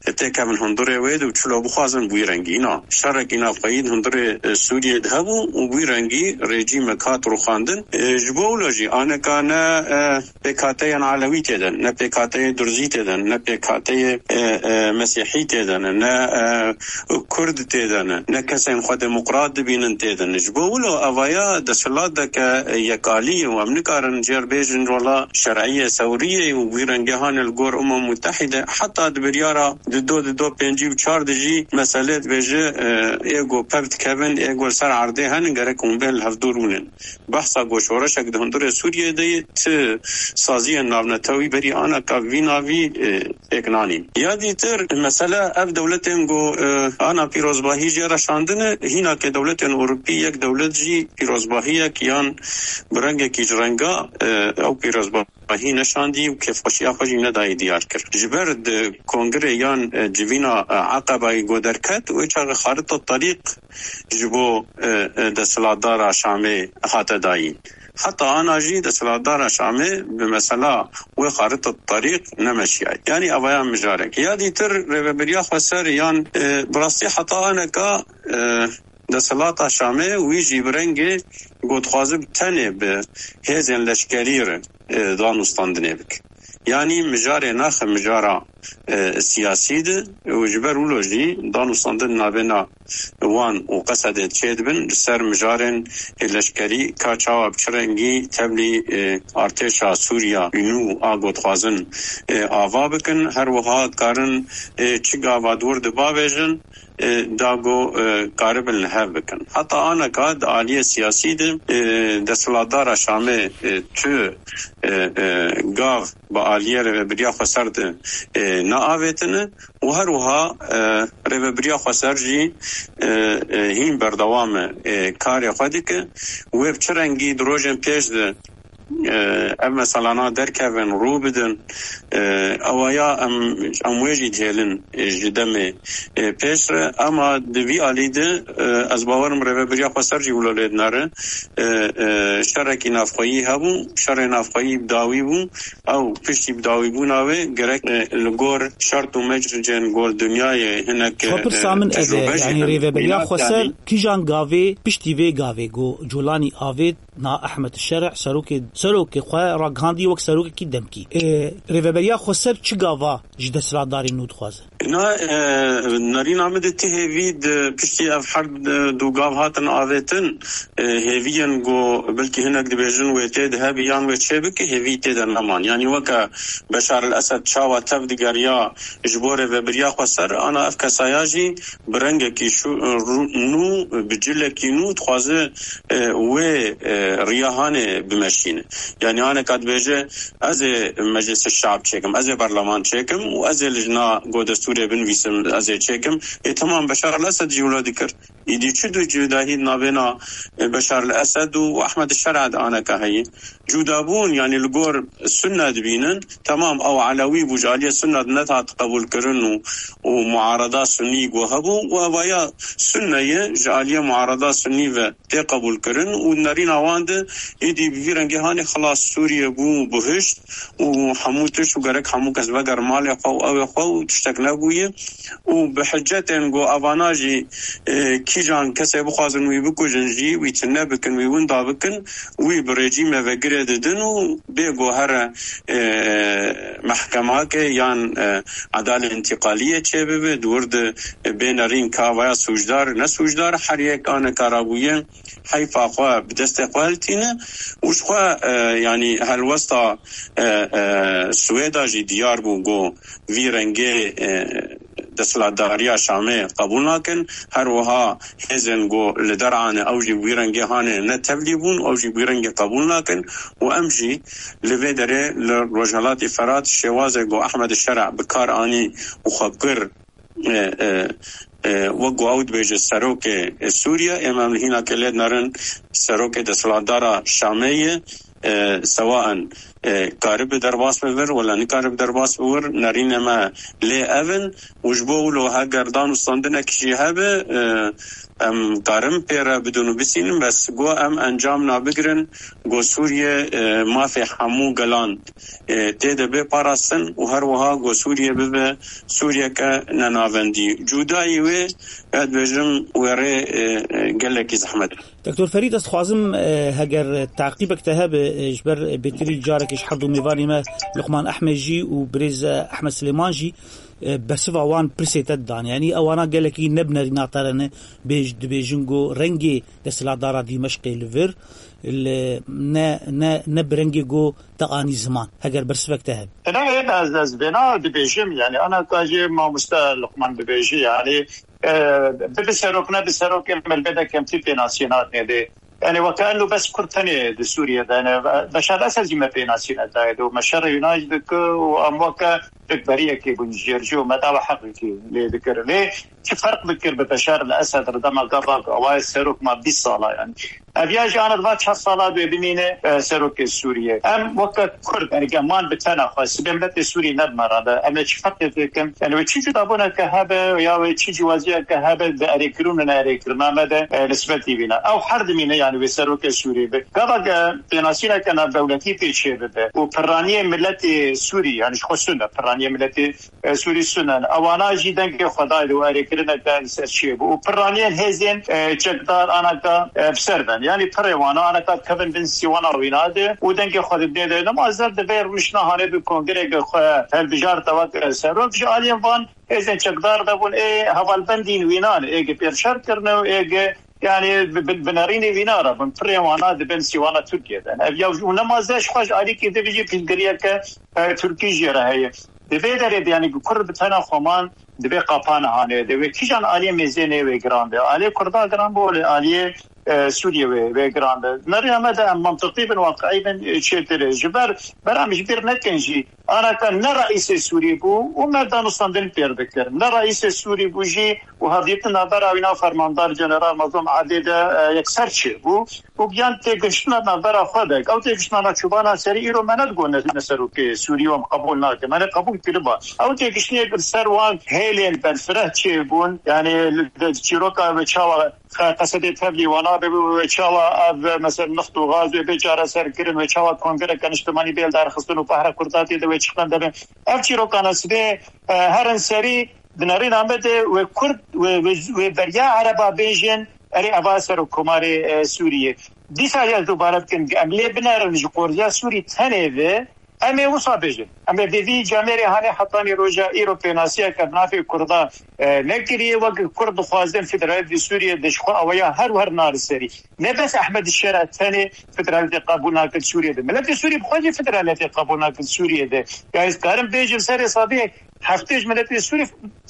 e, têkevin hundirê wê de û çilo bixwazin bi wî rengî. Na, şerekî navxweyî di hundirê, e, Sûriyê de hebû û bi wî rengî rejîmek hat rûxandin. E, ji bo wilo jî aneka ne, e, pêkhateyên Elewî tê de ne, ne pêkhateyê Durzî tê de ne, ne pêkhateyê, e, e, Mesîhî tê de ne, ne, e, Kurd tê de ne, ne kesên xwe demokrat dibînin tê de ne. Ji bo wilo evaya desthilateke yekalî ye û em nikarin jêr bêjin rola şer'iyê sewriyê û wî rengê hane li gor Umem Mutehîde. Heta di biryara di do, di do pêncî û çar de jî meselê dibêje, e, ê ku pev dikevin, ê ku li ser erdê henin, gerek hûn bên li hevdû rûnin. Behsa ku şoreşek di hundirê Sûriyê de ye, ti saziyên navnetewî berî aneka vî navî, e, pêk nanîn. Ya dîtir, mesele ev dewletên ku, e, ana pîrozbahî jê re şandine, hînakê dewletên Ewropî yek dewlet jî pîrozbahiyek yan bi rengekî ji renga, e, ew pîrozbahî neşandî û kêfxweşiya xwe jî nedayê diyar kir. Ji ber di kongirê yan, e, civîna, e, Eqebayî ku derket, wê çaxê xarita terîq ji bo, e, e, desthilatdara Şamê hate dayîn. Heta ana jî desthilatdara Şamê bi mesela wê xarita terîq nemeşiyaye. Yanî evaya mijarek. Ya dîtir rêveberiya xweser yan, e, bi rastî heta aneka, e, desthilata Şamê wî jî bi rengê ku dixwaze bi tenê bi hêzên leşkerî re, e, danûstandinê bike. Yanî mijarê naxe mijara, e, siyasî de û ji ber wilo jî danûstandin navêna wan û Qesedê çêdibin, li ser mijarên leşkerî ka çawa bi çi rengî tevlî, e, artêşa Sûriya nû a ku dixwazin, e, ava bikin, her wiha dikarin, e, çi gava di wir de bavêjin, e, da ku, e, karibin li hev bikin. Heta aneka di aliyê siyasî de, e, desthilatdara Şamê, e, tu, e, e, gav bi aliyê rêveberiya xweser de, e, neavêtine û her wiha, e, rêveberiya xweser jî, e, e, hîn berdewam e, e, karê xwe dike. Wê bi çi rengî di rojên pêş de, e, ev meselana derkevin, rû bidin, e, ewaya em, em wê jî dihêlin, e, ji demê, e, pêş re. Ema di vî alî de, e, ez bawerim rêveberiya xweser jî wilo lê dinere. E, e, şerekî navxweyî hebû, şerê navxweyî bi dawî bû. Ew piştî bi dawîbûna wê gerek, e, li gor şert û mecricên gor dinyayê hinek, e, Xwe pirsa min ev e, tecrûbe jî yanî hene. Rêveberiya Mînak, xweser yanî kîjan gavê piştî vê gavê ku Colanî avêt na Ehmed Şereh, serokê, serokê xwe ragihandî wek serokekî demkî. E, rêveberiya xweser çi gava ji desthilatdarên nû dixwaze? Na, e, nerîna min di ti hêvî di piştî ev her, e, du gav hatin avêtin, e, hêviyên ku belkî hinek dibêjin wê tê de hebî yan wê çê bike, hêvî tê de neman. Yanî weke Beşar el Esed çawa tev digeriya ji bo rêvebiriya xweser, ana ev kesaya jî bi rengekî şû-, rû-, nû, bi cilekî nû dixwaze, e, wê, e, riya hanê bimeşîne. Yanî aneka dibêje, ez ê Meclisa Şeab çêkim, ez ê berleman çêkim û ez ê lijna go destûrê binivîsim, ez ê çêkim. Ê, temam, Beşar el Esed jî wilo dikir. Îdî çi du cudahî navêna, e, Beşar el Esed û Ehmed Şer'a de aneka heye? Cudabûn, yanî li gor Sunne dibînin. Temam, ew Elewî bû, ji aliyê Sunne de nehat qebûlkirin û, û muarada Sunnî go hebû û evaya Sunne ye, ji aliyê muarada Sunnî ve tê qebûlkirin û nerîna wan de êdî bi vî rengê hanê xilas Sûriye bû bihişt û hemû tişt û gerek hemû kes veger malê xwe û ew ê xwe û tiştek nebûye û bi hicetên ku evana jî, e, kîjan kesê bixwazin wî bikujin jî, wî tune bikin, wî winda bikin, wî bi rejîmê ve girê didin û bê ku here, e, mehkemake yan, e, edalê întîqaliyê çêbibe, di wir de bê nerîn ka vaya sûcdar, ne sûcdar, her yek aneka rabûye heyfa xwe bi destê xwe hiltîne û ji xwe, e, yanî helwesta, e, e, Swêda jî diyar bû ku vî rengê, e, desthilatdariya Şamê qebûl nakin. Her wiha hêzên ku li derane ew jî wî rengê hanê ne tevlî bûn, ew jî wî rengê qebûl nakin û em jî li vê derê li Rojhelatê Ferat şêwazê ku Ehmed Şer'a bi kar anî û xwe kir, e, e, e, wek ku ew dibêje serokê, e, Sûriye, ême em li hînakê lê dinerin serokê desthilatdara Şamê ye, e, sewaen, e, karibe derbas bibir wala nikaribe derbas bibir, nerînê me lê ev in û ji bo wilo heger dan û standinek jî hebe, e, em karin pê re bidin û bisînin, bes go em encam nabigirin, go Sûriye, e, mafê hemû gelan, e, tê de bê parastin û her wiha go Sûriye bibe Sûriyeke nenavendî. Cudayî wê, ez dibêjim, wê rê, e, e, gelekî zehmet. Doktor Ferîd, ez dixwazim, e, heger taqîbek te hebe, e, ji ber bêtirî carekê ji her du mêvanê me Luqman Ehmed jî û birêz, e, Ehmed Silêman jî, e, bersiva wan pirsê te didan. Yanî ewana gelekî ne bi nerîna te re ne, bêj-, dibêjin ku rengê desthilatdara Dîmeşqê li vir, li, ne, ne, ne bi rengê ku te anî ziman. Heger bersivek te hebe. Tenê ez, ez vêna dibêjim, yanî ana ka jî mamoste Luqman dibêjî, yanî, e, bibe serok, nebe serokê, me li vê de kemtî pênasî nadinê dê. Yanî weke eno bes Kurd tenê di Sûriye de ne. Beşar Esed jî me pênasî nedayê dê û me şerê wîna jî dike û em weke rikberiyekê bûn jêr jî û me dawa heqekî lê dikirin. Lê çi ferq dikir bi Beşar el Esed re dema gava ku ewa ye serok ma bîst sala yanî. Ev ya jî ana va çar sala dê bimîne, e, serokê Sûriye. Em weke Kurd, yanî geman bi tena xwe, sibê miletê Sûrî ne bi me re be. Em ê çi ferqê têkin? Yanî wê çi cudabûneke hebe ya wê çi cîwaziyeke hebe di erêkirin û neerêkirina me de, e, nisbetî vîna. Ew her dimîne, yanî wê serokê Sûrî be. Gava ge pênasîneke navdewletî pê çê bibe û pirraniyê miletê Sûrî, yanî ji xwe Sûn e, pirraniyê miletê e, Sûrî Sûn in. Ewana jî dengê xwe dayê de û erêkirineke li ser çiyê bû. Û pirraniyên hêzên, e, çekdar anaka, e, bi ser ben. Yanî pirê wana anaka dikevin bin sîwana wîna de û dengê xwe didê de. Nemaze divê rûniştine hanê bi kongreke xwe hilbijarte wek, e, serok. Ji aliyên van hêzên çekdar de bûn, ê hevalbendîn wînan, ê gi pêr şer kirine û ê gi Yanî bi, bi, bi nerînê vîna re bin, pirê wana dibin sîwana Tirkiye de. Ev ya û nemaze ji xwe ji alîkî divê jî pîlgiriyeke, e, Tirkî jê re heye. Di vê derê de, yanî ku Kurd bi tena xwe man, divê qapane hanê. Divê kîjan aliyê mêzênê wê giran be. Aliyê Kurda giran be, wê aliyê, e, Sûriye wê, wê giran be. Nerîna me de em mantiqî bin, waqiî bin, e, çêtir e. Ji ber, ber em ji bîr nekin jî, Anaka ne reîsê Sûrî bû û me danûstandin pêr dikir. Ne reîsê Sûrî bû jî û hevdîtin navbera wîna fermandar General Mazlûm Adê de, e, yekser çêbû û giyan têgihiştina navbera xwe de. Ew têgihiştina na çûbana serî îro me nedigot ne, ne serokê Sûrî û em qebûl nakin. Me ne qebûl kiriba. Ew têgihiştinê li ser wan hêlên berfireh çêbûn. Yanî li, li çîroka ve çawa Qe-, qesedê tevlî wana bibe, wê çawa ev, mesela, nift û gaz wê bê çareserkirin, wê çawa kongreke niştimanî bê lidarxistin û behra Kurda tê de wê çi qende be. Ev çîrokana sibê, e, herin serî di nerîna me de wê Kurd, wê, wê, wê beriya Ereba bêjin, erê eva serokkomarê, e, Sûriyê. Dîsa ez dubare dikim, em lê binerin ji qorziya Sûrî tenê ve, Em ê wisa bêjin. Em ê vê vî camêrê hanê hetanî roja îro pênasiyeke bi navê Kurda, e, nekiriye. Wek Kurd dixwazin federaliyetê Sûriyê de ji xwe awaya her wer nari serî. Ne bes Ehmed Şera tenê federaliyetê qebûl nakir Sûriyê de. Miletê Sûrî bi xwe jî federaliyetê qebûl nakir Sûriyê de. Ya ez karim bêjim serê sadiyê heftê ji miletê Sûrî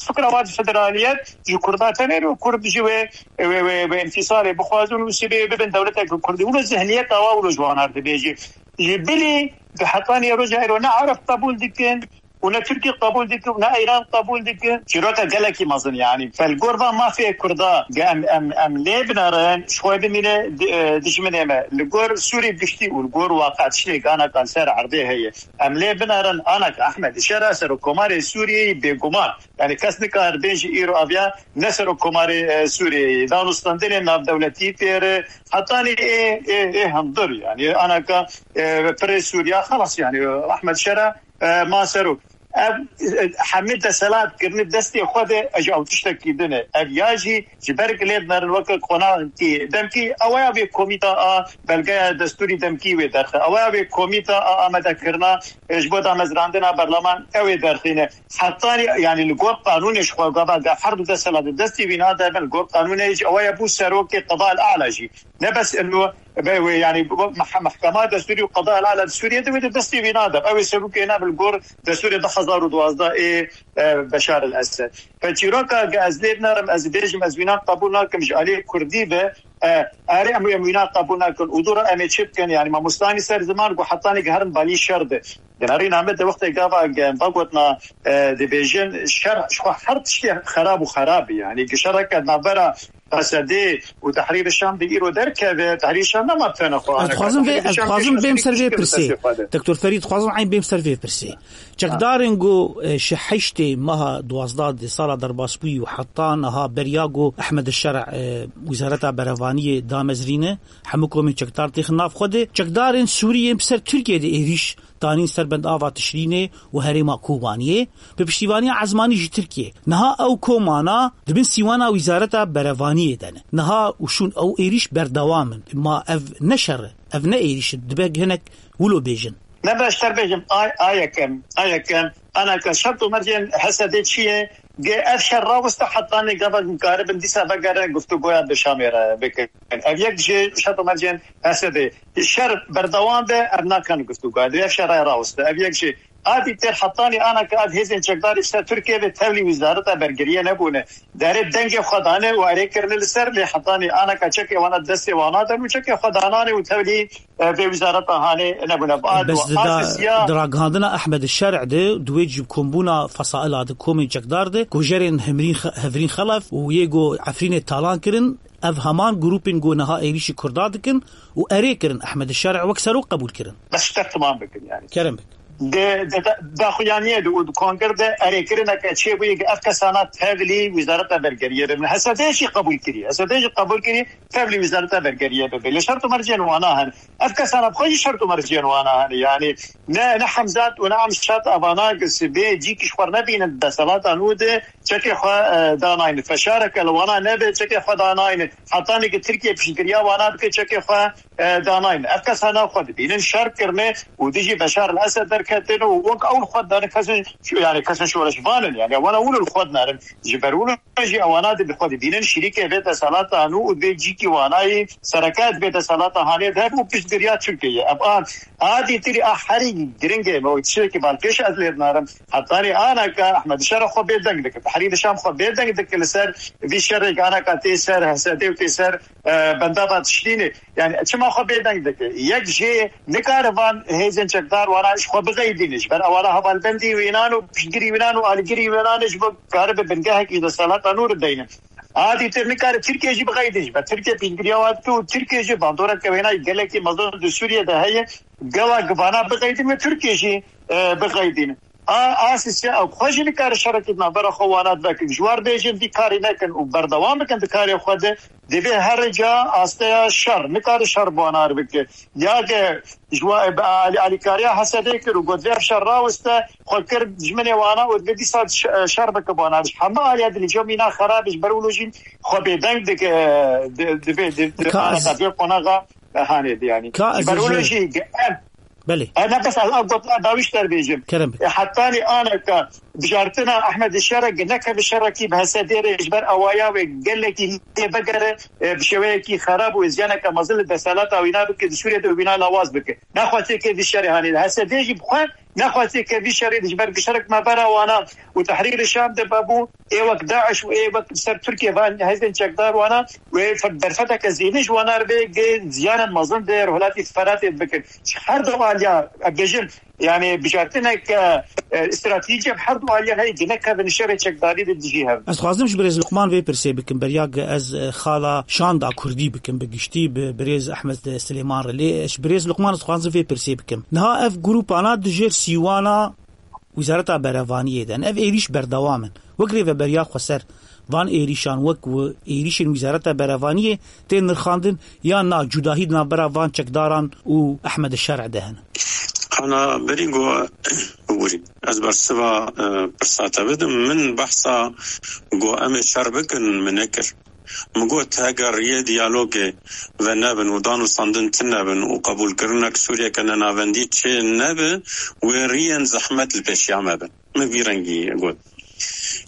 fikra wan federaliyet ji Kurda tenê û Kurd ji wê, wê, wê, wê înfîsalê bixwazin û sibê bibin dewletek Kurdî. Wilo zihniyet awa wilo ji wan ar dibêjî. Ji bilî di hetanî roja îro ne Ereb qebûl dikin û ne Tirkî qebûl dikin û ne Îran qebûl dikin. Çîroka gelekî mezin yanî. Fel gor van mafê Kurda ge em, em, em lê binerin, ji xwe bimîne di-, e, dijminê me. Li gor Sûrî giştî û li gor waqe tiştê gana kan ser erdê heye. Em lê binerin, anaka Ehmed Şera serokkomarê Sûriyeyê bêguman. Yani kes nikar bê ji îro aviya ne serokkomarê, e, Sûriyeyê. Danûstandinê navdewletî têre, hetanî ê, ê, ê hundir yani. Anaka, e, pirê Sûriya xelas yani. Ehmed Şera, e, ma serok. Ev, e, hemî deselat kirinî destê xwe de, e, ji ew tiştekî din e. Ev ya jî ji ber ku lê dinerin weke qonakî demkî, ew ya vê komîta a belgeya destûrî demkî wê derxe. Ew ya vê komîta a amadekirina, e, ji bo damezrandina berleman ew ê derxîne. Hetanî, yani li gor qanûnê ji xwe gava ga her du desthilatê destê wî nade bin, li gor qanûnê jî ew ya bû serokê Qeda el A'la jî. Ne bes ilo be wê, yani bu meh-, mehkema destûrî û Qeda el A'la di Sûriyê de wê de destê wî nade. Ew ê serokê ne bi li gor destûrê du hezar û duwazdeh ê, e, Beşar el Esed. Pe çîroka ge ez lê binerim, ez bêjim, ez wîna qebûl nakim ji aliyê Kurdî be, e, erê em, em wîna qebûl nakin. Û dû re em ê çi bikin? Yani mamostanî ser ziman ku hetanî geherin balî şer de. Genarî name de wextê gava ge em vegotina, e, dibêjin şer, ji xwe her tiştê xerab û xerab e. Yani gi şereke navbera Esedê û Tehrîr Şam de îro derkeve, Tehrîr Şam nema tene xwe. Ez dixwazim vê, ez dixwazim bêm ser vê pirsê. Doktor Ferîd, dixwazim eyn bêm ser vê pirsê. Çekdarên ku, e, ji heştê meha duwazdeh di sala derbasbûyî û heta niha beriya ku Ehmed Şer'a, e, Wizareta Berevaniyê damezrîne, hemû komên çekdar têxin nav xwe de. Çekdarên Sûrî yên bi ser Tirkiyê de êrîş danîn ser bendava Tişrînê û herêma Kobaniyê, bi piştîvaniya ezmanî ji Tirkiyê. Niha ew komana di bin sîwana Wizareta Berevaniyê de ne. Niha û şûn ew êrîş berdewam in. Ma ev ne şer e, ev ne êrîş e, dibe hinek wilo bêjin. Me beşter bêjim, ay, a yekem, a yekem, anaka şert û mercên Hesedê çi ye? Ge ev şer rawiste hetanê gava dikaribin dîsa vegerin guftûgoya bi Şamê re bikin. Ev yek ji şert û mercên Hesedê. Şer berdewam be, ev nakin guftûgoya. Divê ev şer rawiste. Ev yek ji a dîtir hetanî anaka ev hêzên çekdarî ji ser Tirkiye ve tevlî wizareta bergeriye nebûne. Derê dengê xwe dane û erê kirine li ser, lê hetanî anaka çekê wana destê wana den û çekê xwe danane û tevlî, e, vê wizareta hanê nebûne. Bes di da-, Siya di ragihandina Ehmed Şer'ê de, di wê cîbkombûna fesaila di komên çekdar de, ku jerên Hemrîn Xe-, Hevrîn Xelef û yê ku Efrînê talan kirin, ev heman grûpên ku niha êrîşî Kurda dikin û erê kirin Ehmed Şer'ê wek serok qebûl kirin. Bes ji te timam bikin yani. Kerem bik. Di, di, di daxuyaniyê de û di kongir de erêkirineke çêbûyî ku ev kesana tevlî wizareta bergeriyê bibin. H S D jî qebûl kiriye. H S D jî qebûl kiriye tevlî wizareta bergeriyê bibe. Lê şert û mercên wana hene. Ev kesana bi xwe jî şert û mercên wana hene. Yani ne, ne Hemzat û ne Amşat evana ku sibê cîkî ji xwe nebînin di desthilata nû de çekê xwe, e, danayne. Feşareke li wana nebe çekê xwe danayne. Hetanê ku Tirkiye piştgiriya wana dike çekê xwe e, danayne. Ev kesana xwe dibînin şer kirine û dijî Beşar el Esed derketin û wek ew li xwe dane kesên, yani kesên şoreşvan in, yani wana wilo li xwe dinarin. Ji ber wilo jî ewana di bi xwe dibînin şirîkê vê desthilata nû û vê cîkî wanayî sereke di vê desthilata hanê de hebe û piştgiriya Tirkiyeyê. Ev a, a dîtirî a herî giring e, me tiştekî balkêş ez lê dinarim. Hetanî anaka Ehmed Şer xwe bêdeng dike, Tehrîr Şam xwe bêdeng dike li ser vî şerê anaka tê ser H S D û tê ser, e, bendava Tişrînê. Yani çima xwe bêdeng dike? Yek jê nikare van hêzên çekdar wana ji xwe bixeydîne. Ji ber ewana hevalbendî wînan û piştgirî wînan û alîgirî wînan e ji bo karibe bingehekî ji desthilata nû re deyne. A dîtir nikare Tirkiye jî bixeydîne. Ji ber Tirkiye piştgiriya wan dike û Tirkiye jî bandoreke wêna gelekî mezin di Sûriye de heye. Gava givana bixeydîne ve Tirkiye jî, e, bixeydîne. A, a sisya ew xwe jî nikare şerekî di navbera xwe wana veke. Ji war bêjin vî karî nekin û berdewam bikin di karê xwe de. Divê her ca asteya şer, nikare şer bi wana re bike. Ya ke ji wa, bi alî-, alîkariya H S D kir û got vê ev şer rawiste, xwe kir dijminê wana û divê dîsa ş-, şer bike bi wana re. Ji hemû aliya dilî cem mîna xerab e, ji ber wilo jî xwe bêdeng dike, di, divê, di, di, Ka ez vê qonaxa hanê de yani. Ka Ji ez ber wilo jî jî ge-, ev Belê. Ev ne bes ez ev gotina dawî ji te bêjim. Kerem bike. E, hetanî aneka bijartina Ehmed Şerek neke bi şerekî bi H S D re ji ber awaya wê gelekî lê vegere, e, bi şêweyekî xerab û ziyaneke mezin li desthilata wîna bike, di Sûriyê de wîna lawaz bike. Nexwazê ke vî şerê hanê. H S D jî bi xwe nexwazê ke vî şerê ji ber gişerek me bera wana û Tehrîr Şam de bebû. Ê wek DAIŞ û ê wek ser Tirkiye van hêzên çekdar wana wê fer-, derfeteke zêde ji wana re bê, gê ziyanan mezin di rojhilatî Feratê bikin. Ji her du aliya, em bêjin, yani bijartinek, e, e, stratejî bi her du aliya heye, gine kevin şerê çekdarî de dijî hev. Ez xwazim ji birêz Luqman vê pirsê bikim, beriya ge ez, e, xala şanda kurdî bikim bi giştî bi birêz Ehmed Silêman re. Lê ji birêz Luqman ez xwazim vê pirsê bikim. Niha ev grûpana dijêr sîwana Wizareta Berevaniyê de ne. Ev êrîş berdewam in. Wek rêveberiya xweser van êrîşan wek wi-, êrîşên Wizareta Berevaniyê tên nirxandin, yan na cudahî di navbera van çekdaran û Ehmed Şer'e de hene? Ana berî go bûrî. Ez bersiva, e, pirsa te bidim. Min behsa go em ê şer bikin, min nekir. Min got, heger riyê diyalogê venebin û danûstandin tune bin û qebûlkirinek Sûriyeke nenavendî çê nebe, wê riyên zehmet li pêşiya me bin. Min vî rengî got.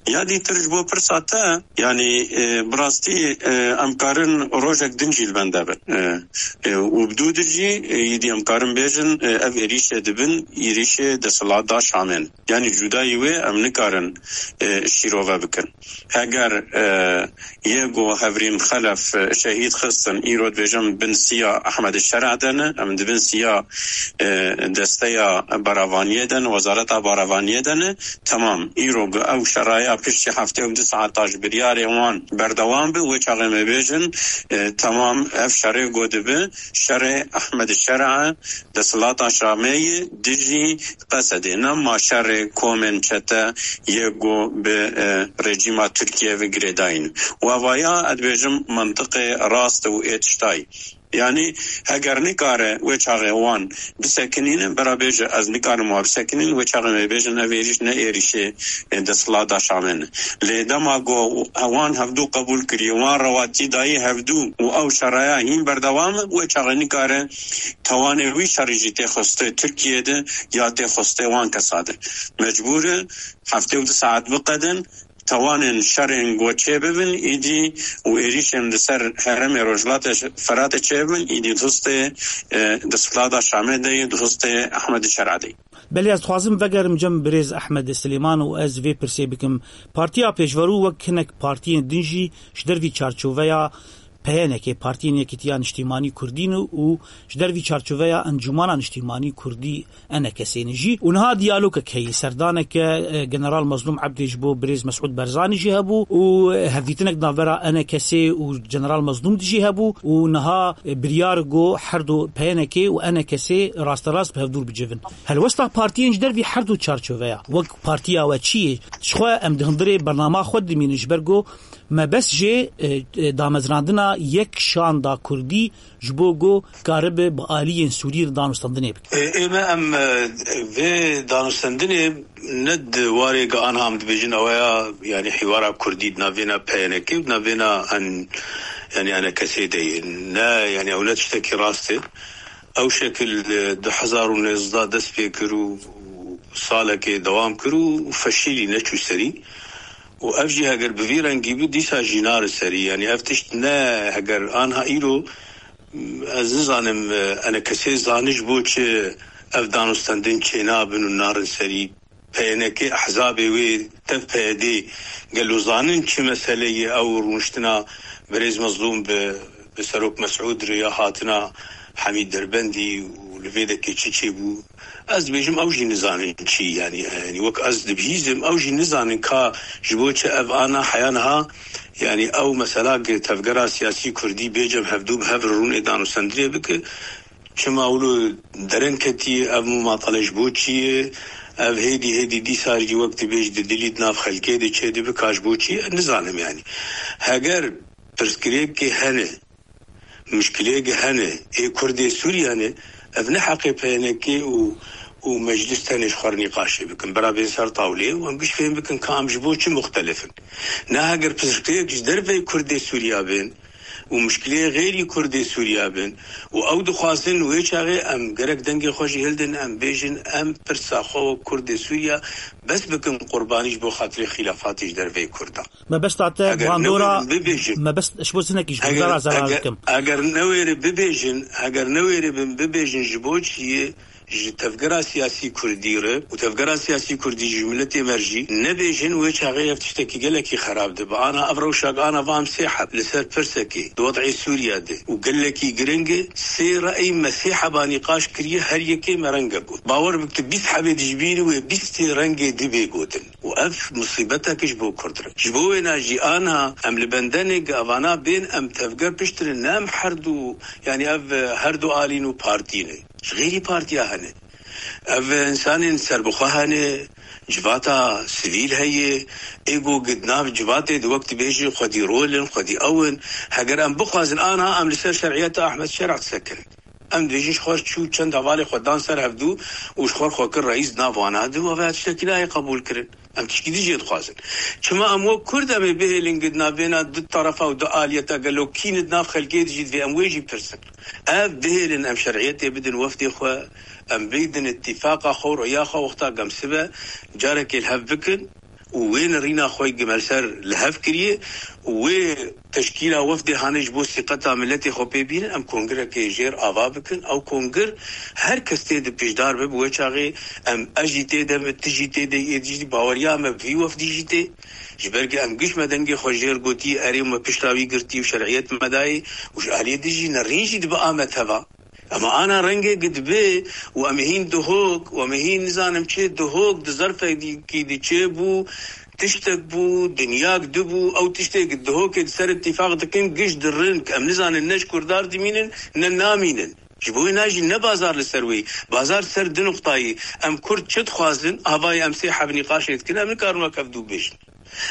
Ya dîtir ji bo pirsa te, yanî, e, bi rastî, e, em karin rojek din jî li bende bin. E, e, û bi dû dir jî, e, îdî em karin bêjin, e, ev êrîşê dibin, êrîşê desthilata Şamê ne. Yanî cudayî wê em nikarin, e, şîrove bikin. Heger, e, yê ku Hevrîm Xelef, e, şehîd xistin, îro dibêjin bin siya Ehmed Şer'a de ne, em di bin siya, e, desteya baravaniyê de ne, wezareta baravaniyê de ne, temam. Îro ku ew şeraya piştî heftê û du saeta ji biryarê wan berdewam bi, wê çaxê me bêjin, e, temam, ev şerê ku dibi, şerê Ehmed Şer'a, desthilata Şamê ye, dijî Qesedê, ne ma şerê komên çete yê ku bi, e, rejîma Tirkiye ve girêdayî ne. Û evaya, ez dibêjim, mentiqê rast û ê tiştayî. Yanî, heger nikare wê çaxê wan bisekinînin, bira bêje, ez nikarim wa bisekinîn, wê çaxê me bêjin, ev êrîş ne êrîşê, e, desthilata Şamê ne. Lê dema ku wan hevdû qebûl kiriye, wan rewatî dayî hevdû û ew şeraya hîn berdewam e, wê çaxê nikare tawanê wî şerî jî tê xwestê Tirkiye de ya tê xwestê wan kesa de. Mecbûr e heftê û du saet biqedin, tawanên şerên ku çêbibin, îdî û êrîşên li ser herêmê Rojhilatê Feratê çêbibin, îdî di hustê, e, desthilata Şamê de ye, di hustê Ehmed Şer'a de ye. Belê, ez dixwazim vegerim cem birêz Ehmed Silêman û ez vê pirsê bikim. Partiya Pêşverû wek hinek partiyên din jî ji dervî çarçoveya P Y N K, Partiyên Yekîtiya Niştîmanî Kurdî ne û ji dervî çarçoveya Encûmana Niştîmanî Kurdî, E N K S ne jî. Û niha diyalogek heye, serdaneke, e, General Mezlûm Ebdî ji bo birêz Mesûd Barzanî jî hebû û, e, hevdîtinek di navbera E N K S û General Mezlûm de jî hebû û niha, e, biryar got her du P Y N K û E N K S rasterast bi hevdûr bicivin. Helwesta partiyên ji dervî her du çarçoveya, wek partiya we çi ye? Ji xwe em di hundirê bernama xwe dimînin, ji ber ku mebest jê, e, e, damezrandina yek şanda kurdî ji bo ku karibe bi aliyên Sûriyê re danûstandinê bike. E, ê me em, e, vê danûstandinê ne di warê ku anha em dibêjin ew ya, yanî hîwara kurdî di navêna P Y N K û di navêna en, yanî E N K S de ye. Ne, yanî ew ne tiştekî rast e. Ew şekil, e, du hezar û nêzdeh dest pê kir û salekê dewam kir û feşîlî, neçû serî. Û ev jî heger bi vî rengî bû, dîsa jî nare serî. Yanî ev tişt ne, heger anha îro, ez nizanim, e, E N K S zanî ji bo çi ev danûstendin çênabin û narin serî. P Y N K ehzabê wê tev P Y D gelo zanin çi meseleyê ew rûniştina birêz Mezlûm bi, bi Serok Mesûd re ya hatina Hemîd Derbendî û li vê dekê çi çêbû? Ez dibêjim ew jî nizanin çi, yanî, yanî wek ez dibihîzim, ew jî nizanin ka ji bo çi ev ana heya niha, yanî ew mesela gi tevgera siyasî kurdî bê cem hevdû bi hev re rûnê danûstendinê bike. Çima wilo dereng ketiye, ev mumatale ji bo çi ye? Ev hêdî hêdî dîsa jî wek dibêj di dilî di nav xelkê de çêdibe, ka ji bo çi ye? Nizanim yanî. Heger pirsgirêkê hene, muşkilêkê hene, ê Kurdê Sûriye ne, ev ne heqê P Y N K û, û meclis tenê ji xwe re nîqaşê bikin. Bira bên ser tawlê û em giş fêm bikin ka em ji bo çi muxtelif in. Ne heger pirsgirêk ji derveyî Kurdê Sûriya bên, û mişkileyê xeyrî Kurdê Sûriya bin û ew dixwazin wê çaxê em gerek dengê xwe jî hildin, em bêjin, em pirsa xwe wek Kurdê Sûriya bes bikin qurbanî ji bo xatirê xîlafatê ji derveyî Kurdan. Mebesta te Eger bandora, newêrin bibêjin, mebest, ji bo zinekî ji eger, bandora zerar eger, dikim. Eger newêrin bibêjin, eger newêrin bibêjin ji bo çi yê, ji tevgera siyasî Kurdî re û tevgera siyasî Kurdî ji miletê me re jî nebêjin, wê çaxê ev tiştekî gelekî xerab dibe. Ana ev rewşa ana vam sê heb li ser pirsekê di wed'ê Sûriya de û gelekî giring e, sê re'yî me sê heba nîqaş kiriye, her yekê me renge got. Bawer bik tu bîst hebê dijbînî wê bîstê rengê dibê gotin. Û ev musîbetek ji bo Kurd re. Ji bo wêna jî ana em li bendenê gi evana bên em tevger pişt re, ne em her du, yanî ev, e, her du alîn û partî ne. Ji xêrî partiya hene. Ev insanên serbixwe hene, civata sivîl heye, ê ku di nav civatê di wek dibêjin xwedî rol in, xwedî ew in. Heger em bixwazin ana em li ser şer'iyeta Ahmed Şer'a qise kirin. Em dibêjin ji xwe çû çend hevalê xwe dan ser hevdû û ji xwe xwe kir reîs di nav wana de û ev tiştekî nayê qebûl kirin. Em tişkî din jê dixwazin. Çima em wek Kurd em ê bihêlin gi di navbêna du terefa û du aliyeta gelo kî ne di nav xelkê de jî divê em wê jî pirsin. Ev bihêlin em şer'iyetê bidin wefdê xwe, em bidin îtîfaqa xwe û roya xwe wexta gem sibe carekê li hev bikin û wê nerîna xwe gi me li ser li hev kiriye û wê teşkîla wefdê hane ji bo sîqeta miletê xwe pê bînin, em kongirekê jêr ava bikin. Ew kongir her kes tê de pêşdar bibe, wê çaxê em, ez jî tê de me, tu jî tê de, ê dî jî baweriya me bi vî wefdî jî tê. Ji ber ku em giş me dengê xwe jêr gotî, erê me pişta wî girtî û şer'iyet me dayê û ji aliyê din jî nerîn jî dibe a me teva. Ema ana rengê gi dibe û em ê hîn duhok û em ê hîn nizanim çi duhok di zerfekî di çê bû, tiştek bû, dinyak dibû, ew tiştê gi duhokê di ser îtîfaq dikin, giş dirin, em nizanin ne ji Kurdar dimînin, ne namînin. Ji bo wê na jî ne bazar li ser wê, bazar ser du nuqtayî. Em Kurd çi dixwazin, avayê em sê heb nîqaşê dikin, em nikarin wek hev dû bêjin.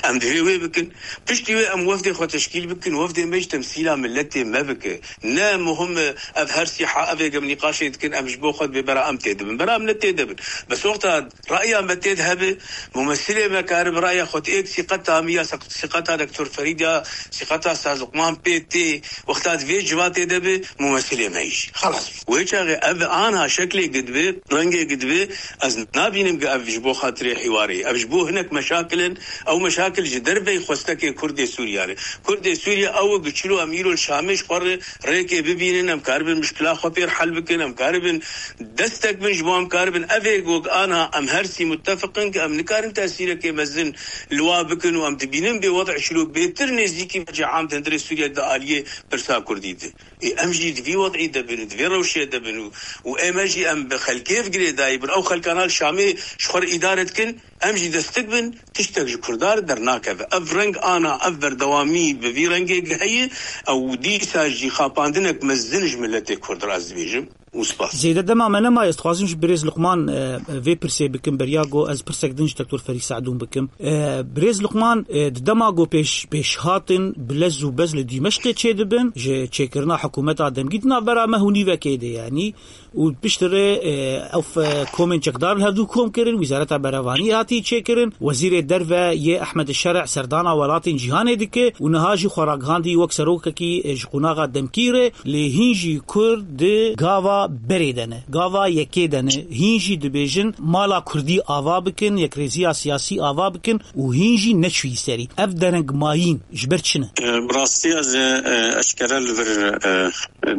Em divê wê bikin. Piştî wê em wefdê xwe teşkîl bikin, wefdê me jî temsîla miletê me bike. Ne muhim e, ev her sî ha, ev ê gem nîqaşê dikin, em ji bo xwe dibê bera em tê dibin. Bera em ne tê dibin. Bes wexta ra'ya me tê de hebe, mumesilê me karibe ra'ya xwe êk sîqeta min ya sîq-, sîqeta Doktor Ferîd ya sîqeta Saz Luqman pê tê, wexta di vê civatê de be, mumesilê me jî. Xelas. Wê çaxê ev ana şeklê gi dibe, rengê gi dibe, ez nabînim ku ev ji bo xatirê hîwarê. Ev ji bo hinek meşakil in, ew meşakil ji derveyî xwestekê Kurdê Sûriya re. Kurdê Sûriya ew e ku çilo em îro li Şamê ji xwe re rêkê bibînin, em karibin mişkila xwe pêr hel bikin, em karibin destek bin ji bo em karibin. Ev ê ku ana em her sî mutefiq in ku em nikarin tesîrekê mezin li wa bikin û em dibînin bê wed'ê çilo bêtir nêzîkî vecê am di hundirê Sûriye di aliyê pirsa Kurdî de. Ê, em jî di vî wed'î de bin û di vê rewşê de bin û, û ê me jî em bi xelkê ve girêdayî bin. Ew xelkana li Şamê ji xwe re îdare dikin, em jî destik bin, tiştek ji Kurda re dernakeve. Ev reng ana, ev berdewamî bi vî rengê heye, ew dîsa jî xapandinek mezin ji miletê Kurd re ez dibêjim. Û spas. Zêde dema me nemaye, ez dixwazim ji birêz Luqman, e, vê pirsê bikim, beriya ku ez pirsek din ji Doktor Ferîd Se'dûn bikim. E, birêz Luqman, e, di dema ku pêş, pêşhatin bi lez û bez li Dîmeşqê çêdibin, ji çêkirina hikûmeta demgî di navbera meh û nîvekê de, yanî, û piştre, e, ew, e, komên çekdar li hevdû kom kirin, Wezareta Berevaniyê hatî çêkirin, Wezîrê Derve yê Ehmed Şer'a serdana welatên cîhanê dike û niha jî xwe ragihandî wek serokekî, e, ji qonaxa demkî re. Lê hîn jî Kurd di gava berê de ne, gava yekê de ne. Hîn jî dibêjin mala Kurdî ava bikin, yekrêziya siyasî ava bikin û hîn jî neçûyî serî. Ev derengmayîn ji ber çi ne? E, bi rastî ez ê, e, eşkere li vir, e,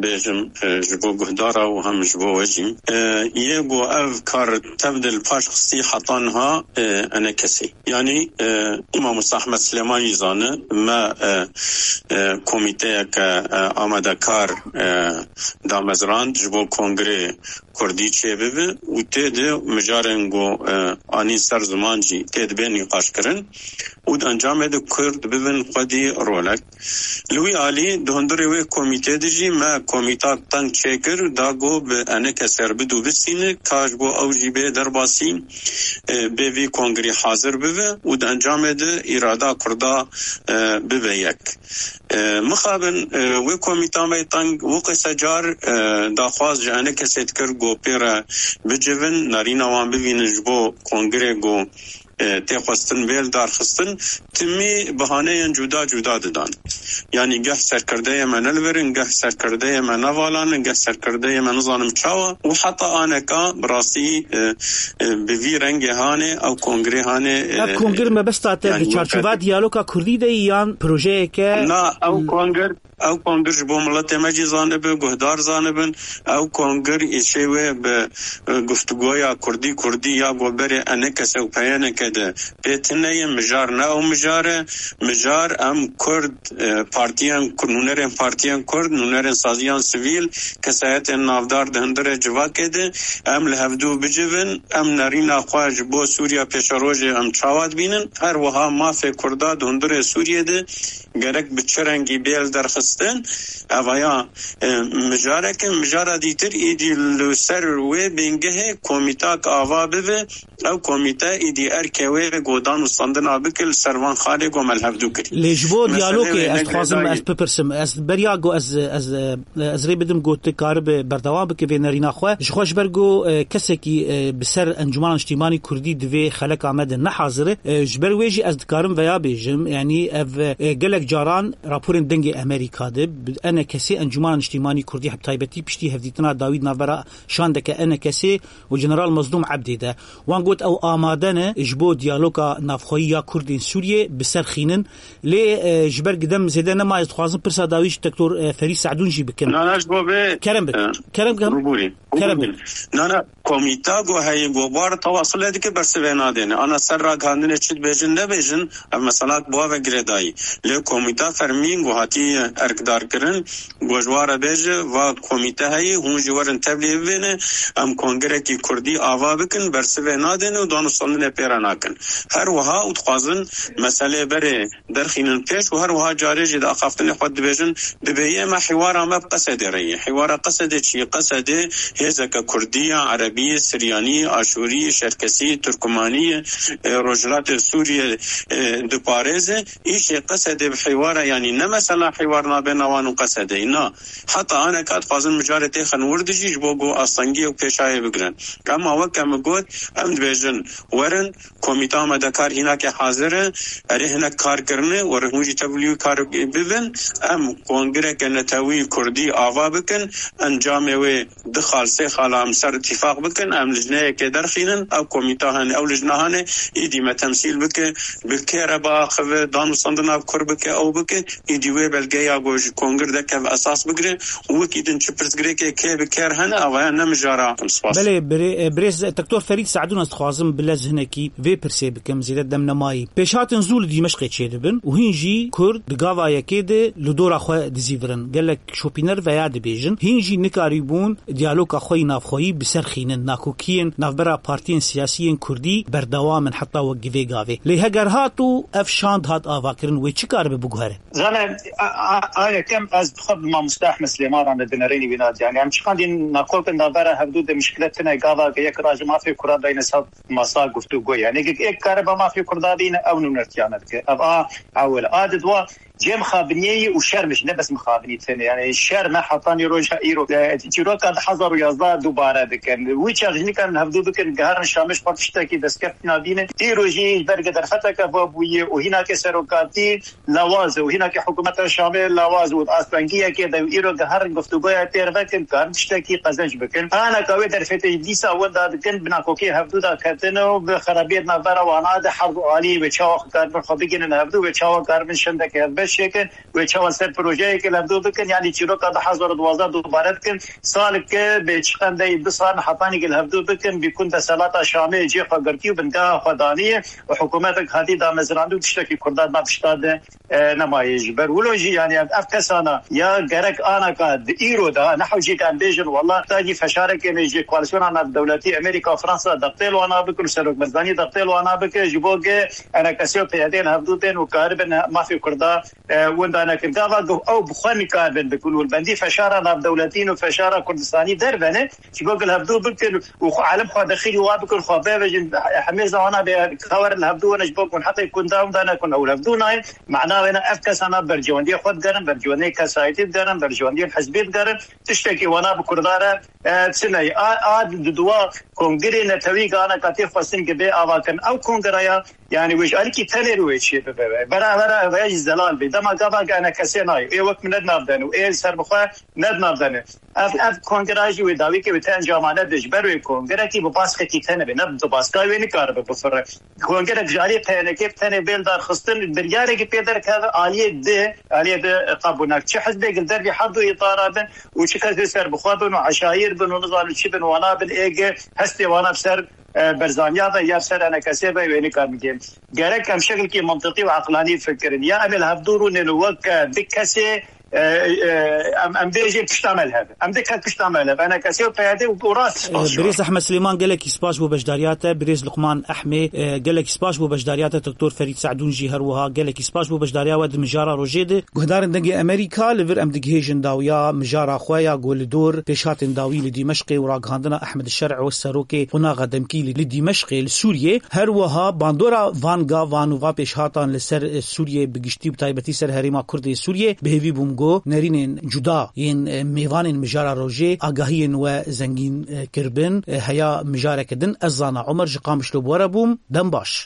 bêjim, e, ji bo guhdara û hem ji bo we jî. E, yê ku ev kar tev de li paş xistî heta niha, e, enekesê. Yanî, e, Mamoste Ahmed Silêman jî zane, me, e, e, komîteyeke, e, amadekar, e, damezrand ji bo kongrê Kurdî çêbibe û tê de mijarên ku, e, anî ser ziman jî tê dibe nîqaşkirin û di encamê de Kurd bibin xwedî rolek. Li wî alî di hundirê wê komîtê de jî me komîta teng çêkir, da ku bi eneke serbid û bistîne, ka ji bo ew jî bê derbasî, e, bê vî kongrî hazir bibe û di encamê de îrada Kurda, e, bibe yek. E, mixabin, e, wê komîta me teng weke se car, e, daxwaz ji enekesê dikir ku pê re bicivin, nerîna wan bivînin ji bo kongrê ku e, tê xwestin bê li dar xistin, timî bihaneyên cuda cuda didan. Yanî geh serkirdeyê me ne li vir in, geh serkirdeyê me ne vala ne, geh serkirdeyê me nizanim çawa û heta aneka bi rastî, e, e, bi vî rengê hanê ew kongirê hanê, Ev e, kongir mebesta te yanî di çarçova wekî diyaloga kurdî de yî yan projeyeke Na, ew kongir, ew kongir ji bo miletê me jî zanibin, guhdar zanibin. Ew kongir îşê wê bi, e, guftûgoya kurdî kurdî ya ku berê enekese û peyeneke de pê tine ye. Mijar ne ew mijar e. Mijar em kurd, e, partiyên ku-, nûnerên partiyên kurd, nûnerên saziyan sivîl, kesayetên navdar di hundirê civakê de em li hevdû bicivin, em nerîna xwe ji bo Sûriya pêşerojê em çawa dibînin, her wiha mafê kurda di hundirê Sûriyê de gerek bi çi rengî bê li derxistin, evaya, e, mijareke, mijara dîtir êdî li ser wê bingehê komîtak ava bibe, ew komîte êdî erkê wê godan û standina bike li ser van xalê ku me li hevdû kirî. Lê ji bo Meselê diyalogê wê ez ne dixwazim girêdayî. ez bipirsim, ez beriya ku ez, ez, ez rê bidim ku tu karibe berdewam bike vê nerîna xwe. Ji xwe ji ber ku, e, kesekî, e, bi ser Encûmena Niştîmanî Kurdî di vê xeleka me de ne hazir e, e, ji ber wê jî ez dikarim veya bêjim, yanî ev, e, gelek caran raporên Dengê Amerîka de bi enekesê Encûmena Niştîmanî Kurdî, bi taybetî piştî hevdîtina dawî di navbera şandeke enekesê û General Mazlûm Ebdê de. Wan got ew amade ne ji bo diyaloga navxweyî ya Kurdên Sûriyê bi ser xînin. Lê, e, ji ber gidem zêde nemaye, dixwazim pirsa dawî ji Doktor, e, Ferîd Se'dûn jî bikim. Na, na, ji bo vê, Kerem bik. e, Kerem bik. Rûbûrî. Kerem bik. Na, na, komîta ku heye, ku bar tewasilê dike, bersivê nadêne. Ana ser ragihandinê çi dibêjin, nebêjin, ev mesela bi wa ve girêdayî. Lê komîta fermîn ku hatiye erkdarkirin, ku ji wa re bêje, va komîte heye, hûn jî werin tevlî bibêne, em kongirekî kurdî ava bikin, bersivê nadêne û danûstandinê pê re nakin. Her wiha û dixwazin meselê berê derxînin pêş û her wiha carê jî di axaftinê xwe dibêjin, dibêje me hîwara me bi Qesedê re ye. Hîwara Qesedê çi ye? Qesedê hêzeke kurdî ye, erebî, siryanî, aşûrî, şerkesî, turkumanî, e, rojhilatê Sûriyê, e, diparêze. Îşê Qesedê bi hîwara, yanî ne mesela hîwar nabêna wan û Qesedê. Na, heta aneka dixwazin mijarê têxin wir dijî ji bo ku astengiyê û pêşayê bigirin. Ema weke min got, em dibêjin, werin, komîta amadekar hînakê hazir e, erê hinek kar kirine, werin hûn jî tevlî wî kar bibin, em kongireke netewî kurdî ava bikin, encamê wê du xal, sê xala em ser îtîfaq bikin, em lijneyekê derxînin, ew komîta hene, ew lijna hene, êdî me temsîl bike, bi kê re biaxive, danûstandina kur bike, ew bike, êdî wê belgeya ku ji kongir dekev esas bigire û wekî din çi pirsgirêkê kê bi kêr hene, avaya ne mijara. Spas. Belê, birê-, e, birêz Doktor Ferîd Se'dûn, ez dixwazim bi lez hinekî vê pirsê bikim, zêde dem nemayî. Pêşhatin zû li Dîmeşqê çêdibin û hîn jî Kurd di gava yekê de li dora xwe dizîvirin. Gelek şopîner veya dibêjin, hîn jî nikarîbûn diyaloga xwe yî navxweyî bi ser xînin. Nakokiyên navbera partiyên siyasî yên kurdî berdewam in heta wek vê gavê. Lê heger hat û ev şand hat avakirin, wê çi karibe biguhere? Zane, a, a, a yekem ez bi xwe bi mamoste Ehmed Silêman re ne di nerênî wî nadî. Yanî em çiqandî nakok in navbera hevdû de mişkilet tune gava ke yek raje mafê kura dayne ser masa guftûgoyê. Yanî yek karibe mafê kurda bîne ew nûnertiyane dike. Ev a ewil. A didwa cê mixabiniyê yî û şer min jî, ne bes mixabinî tenê. Yanî şer me hetanî roja îro, e, çîroka du hezar û yazdeh dubare dikin. Wî çax jî nikarin hevdû bikin, geherin Şamê ji xwe tiştekî destkeftî nabînin. Îro jî ji ber ke derfeteke ve bûye û hînakê serokatî lawaz e û hînakê hikûmeta Şamê lawaz û astengiyekê de û îro geherin guftûgoya têr vekin, karin tiştekî qezenc bikin. Aneka wê derfetê jî dîsa wenda dikin, bi nakokê hevdû de ketine û bi xerabiyê di navbera wana de her du alî wê çawa xwe karibin xwe bigihînin hevdû, wê çawa karibin şendeke hevbeş çêkin, wê çawa ser projeyekê li hevdû bikin, yanî çîroka du hezar û duwazdeh dubare dikin. Saleke bê çiqendeyî du sal hetanî li hevdû bikin, bîkûn desthilata Şamê cê xwe girtî û bingeha xwe daniye û hikûmetek hatî damezrandî û tiştekî kurdan nav tişta de, e, nemayê. Ji ber wilo jî, yanî ev, ev kesana ya gerek anaka di îro de, ne hewcî em bêjin, wela, ta jî feşarekê me ji koalîsyona navdewletî Amerîka, Fransa, dextê li wana bikin û Serok Barzanî dextê li wana bike, ji bo ke enekesê û P Y D li hevdû tên û karibin mafê kurda e, winda nekin. Gava ku ew bi xwe nikaribin bikin û li bendî feşara navdewletî û feşara Kurdistanî dervene, ji bo ku li hevdû bikin û xwe alim xwe dexîlî wa bikin, xwe bevejin, hemê zawana bê ka werin li hevdû wene ji bo ku heqê kunda winda nekin ew li hevdû nayên. Mana wêne ev kesana berjewendiyê xwe digerin, berjewendiyê kesayetî digerin, berjewendiyên hizbî digerin. Tiştekî wana bi Kurda re, e, çi neyê. A, a di duwa kongirê netewî gana ka tê xwestin ki bê avakirin. Ew kongireya, yani wê ji alîkî tenê re wê çê bibe. Bera, bera, bera jî zelal bê. Dema gava ki ene kesê nayê. Ê wek min ne di nav de ne. Ê serbixwe ne di nav de ne. Ev, ev kongire jî wê dawî ke wê ti encamane de ji ber wê kongirekî bi baskekî tenê be. Ne bi baska wê nikaribe bifire. Kongerek ji aliyê P N K bi tenê bên darxistin, biryarekî pê derkeve aliyê di, aliyê di qebûl nake. Çi hizbek li dervî her du îtara bin û çi kesê serbixwe bin û eşayîr bin û nizanim çi bin, wana bin êge hestê wana bi ser, e, Berzaniya ve ya bi ser enekesê ve wê nikar bigên. Gerek em şekilkî mintiqî û eqlanî fikirin. Ya em ê li hevdû rûnên û wek, e, di kesê, e, e, em, em bêjin pişta me li hev. Em di kes pişta me li hev. Enekesê û P Y D û rast spas ji wan. Birêz Ehmed Silêman, gelekî spas bo beşdariya te. Birêz Luqman Ehmê, e, gelekî spas bo beşdariya te. Doktor Ferîd Se'dûn jî her wiha gelekî spas bo beşdariya we di mijara rojê de. Guhdarên Dengê Amerîka, li vir em digihêjin dawiya mijara xwe ya ku li dor pêşhatên dawî li Dîmeşqê û ragihandina Ehmed Şer'o, serokê qonaxa demkî li, li Dîmeşqê li Sûriyê, her wiha bandora van gavan û van pêşhatan li ser, e, Sûriyê bi giştî û bi taybetî ser herêma Kurd ê Sûriyê. Bi hêvî bûm ku nerînên cuda yên, e, mêvanên mijara rojê agahiyên we zengîn, e, kiribin. E, heya mijareke din, ez zana Omer ji Qamişlo bi we re bûm. Dem baş.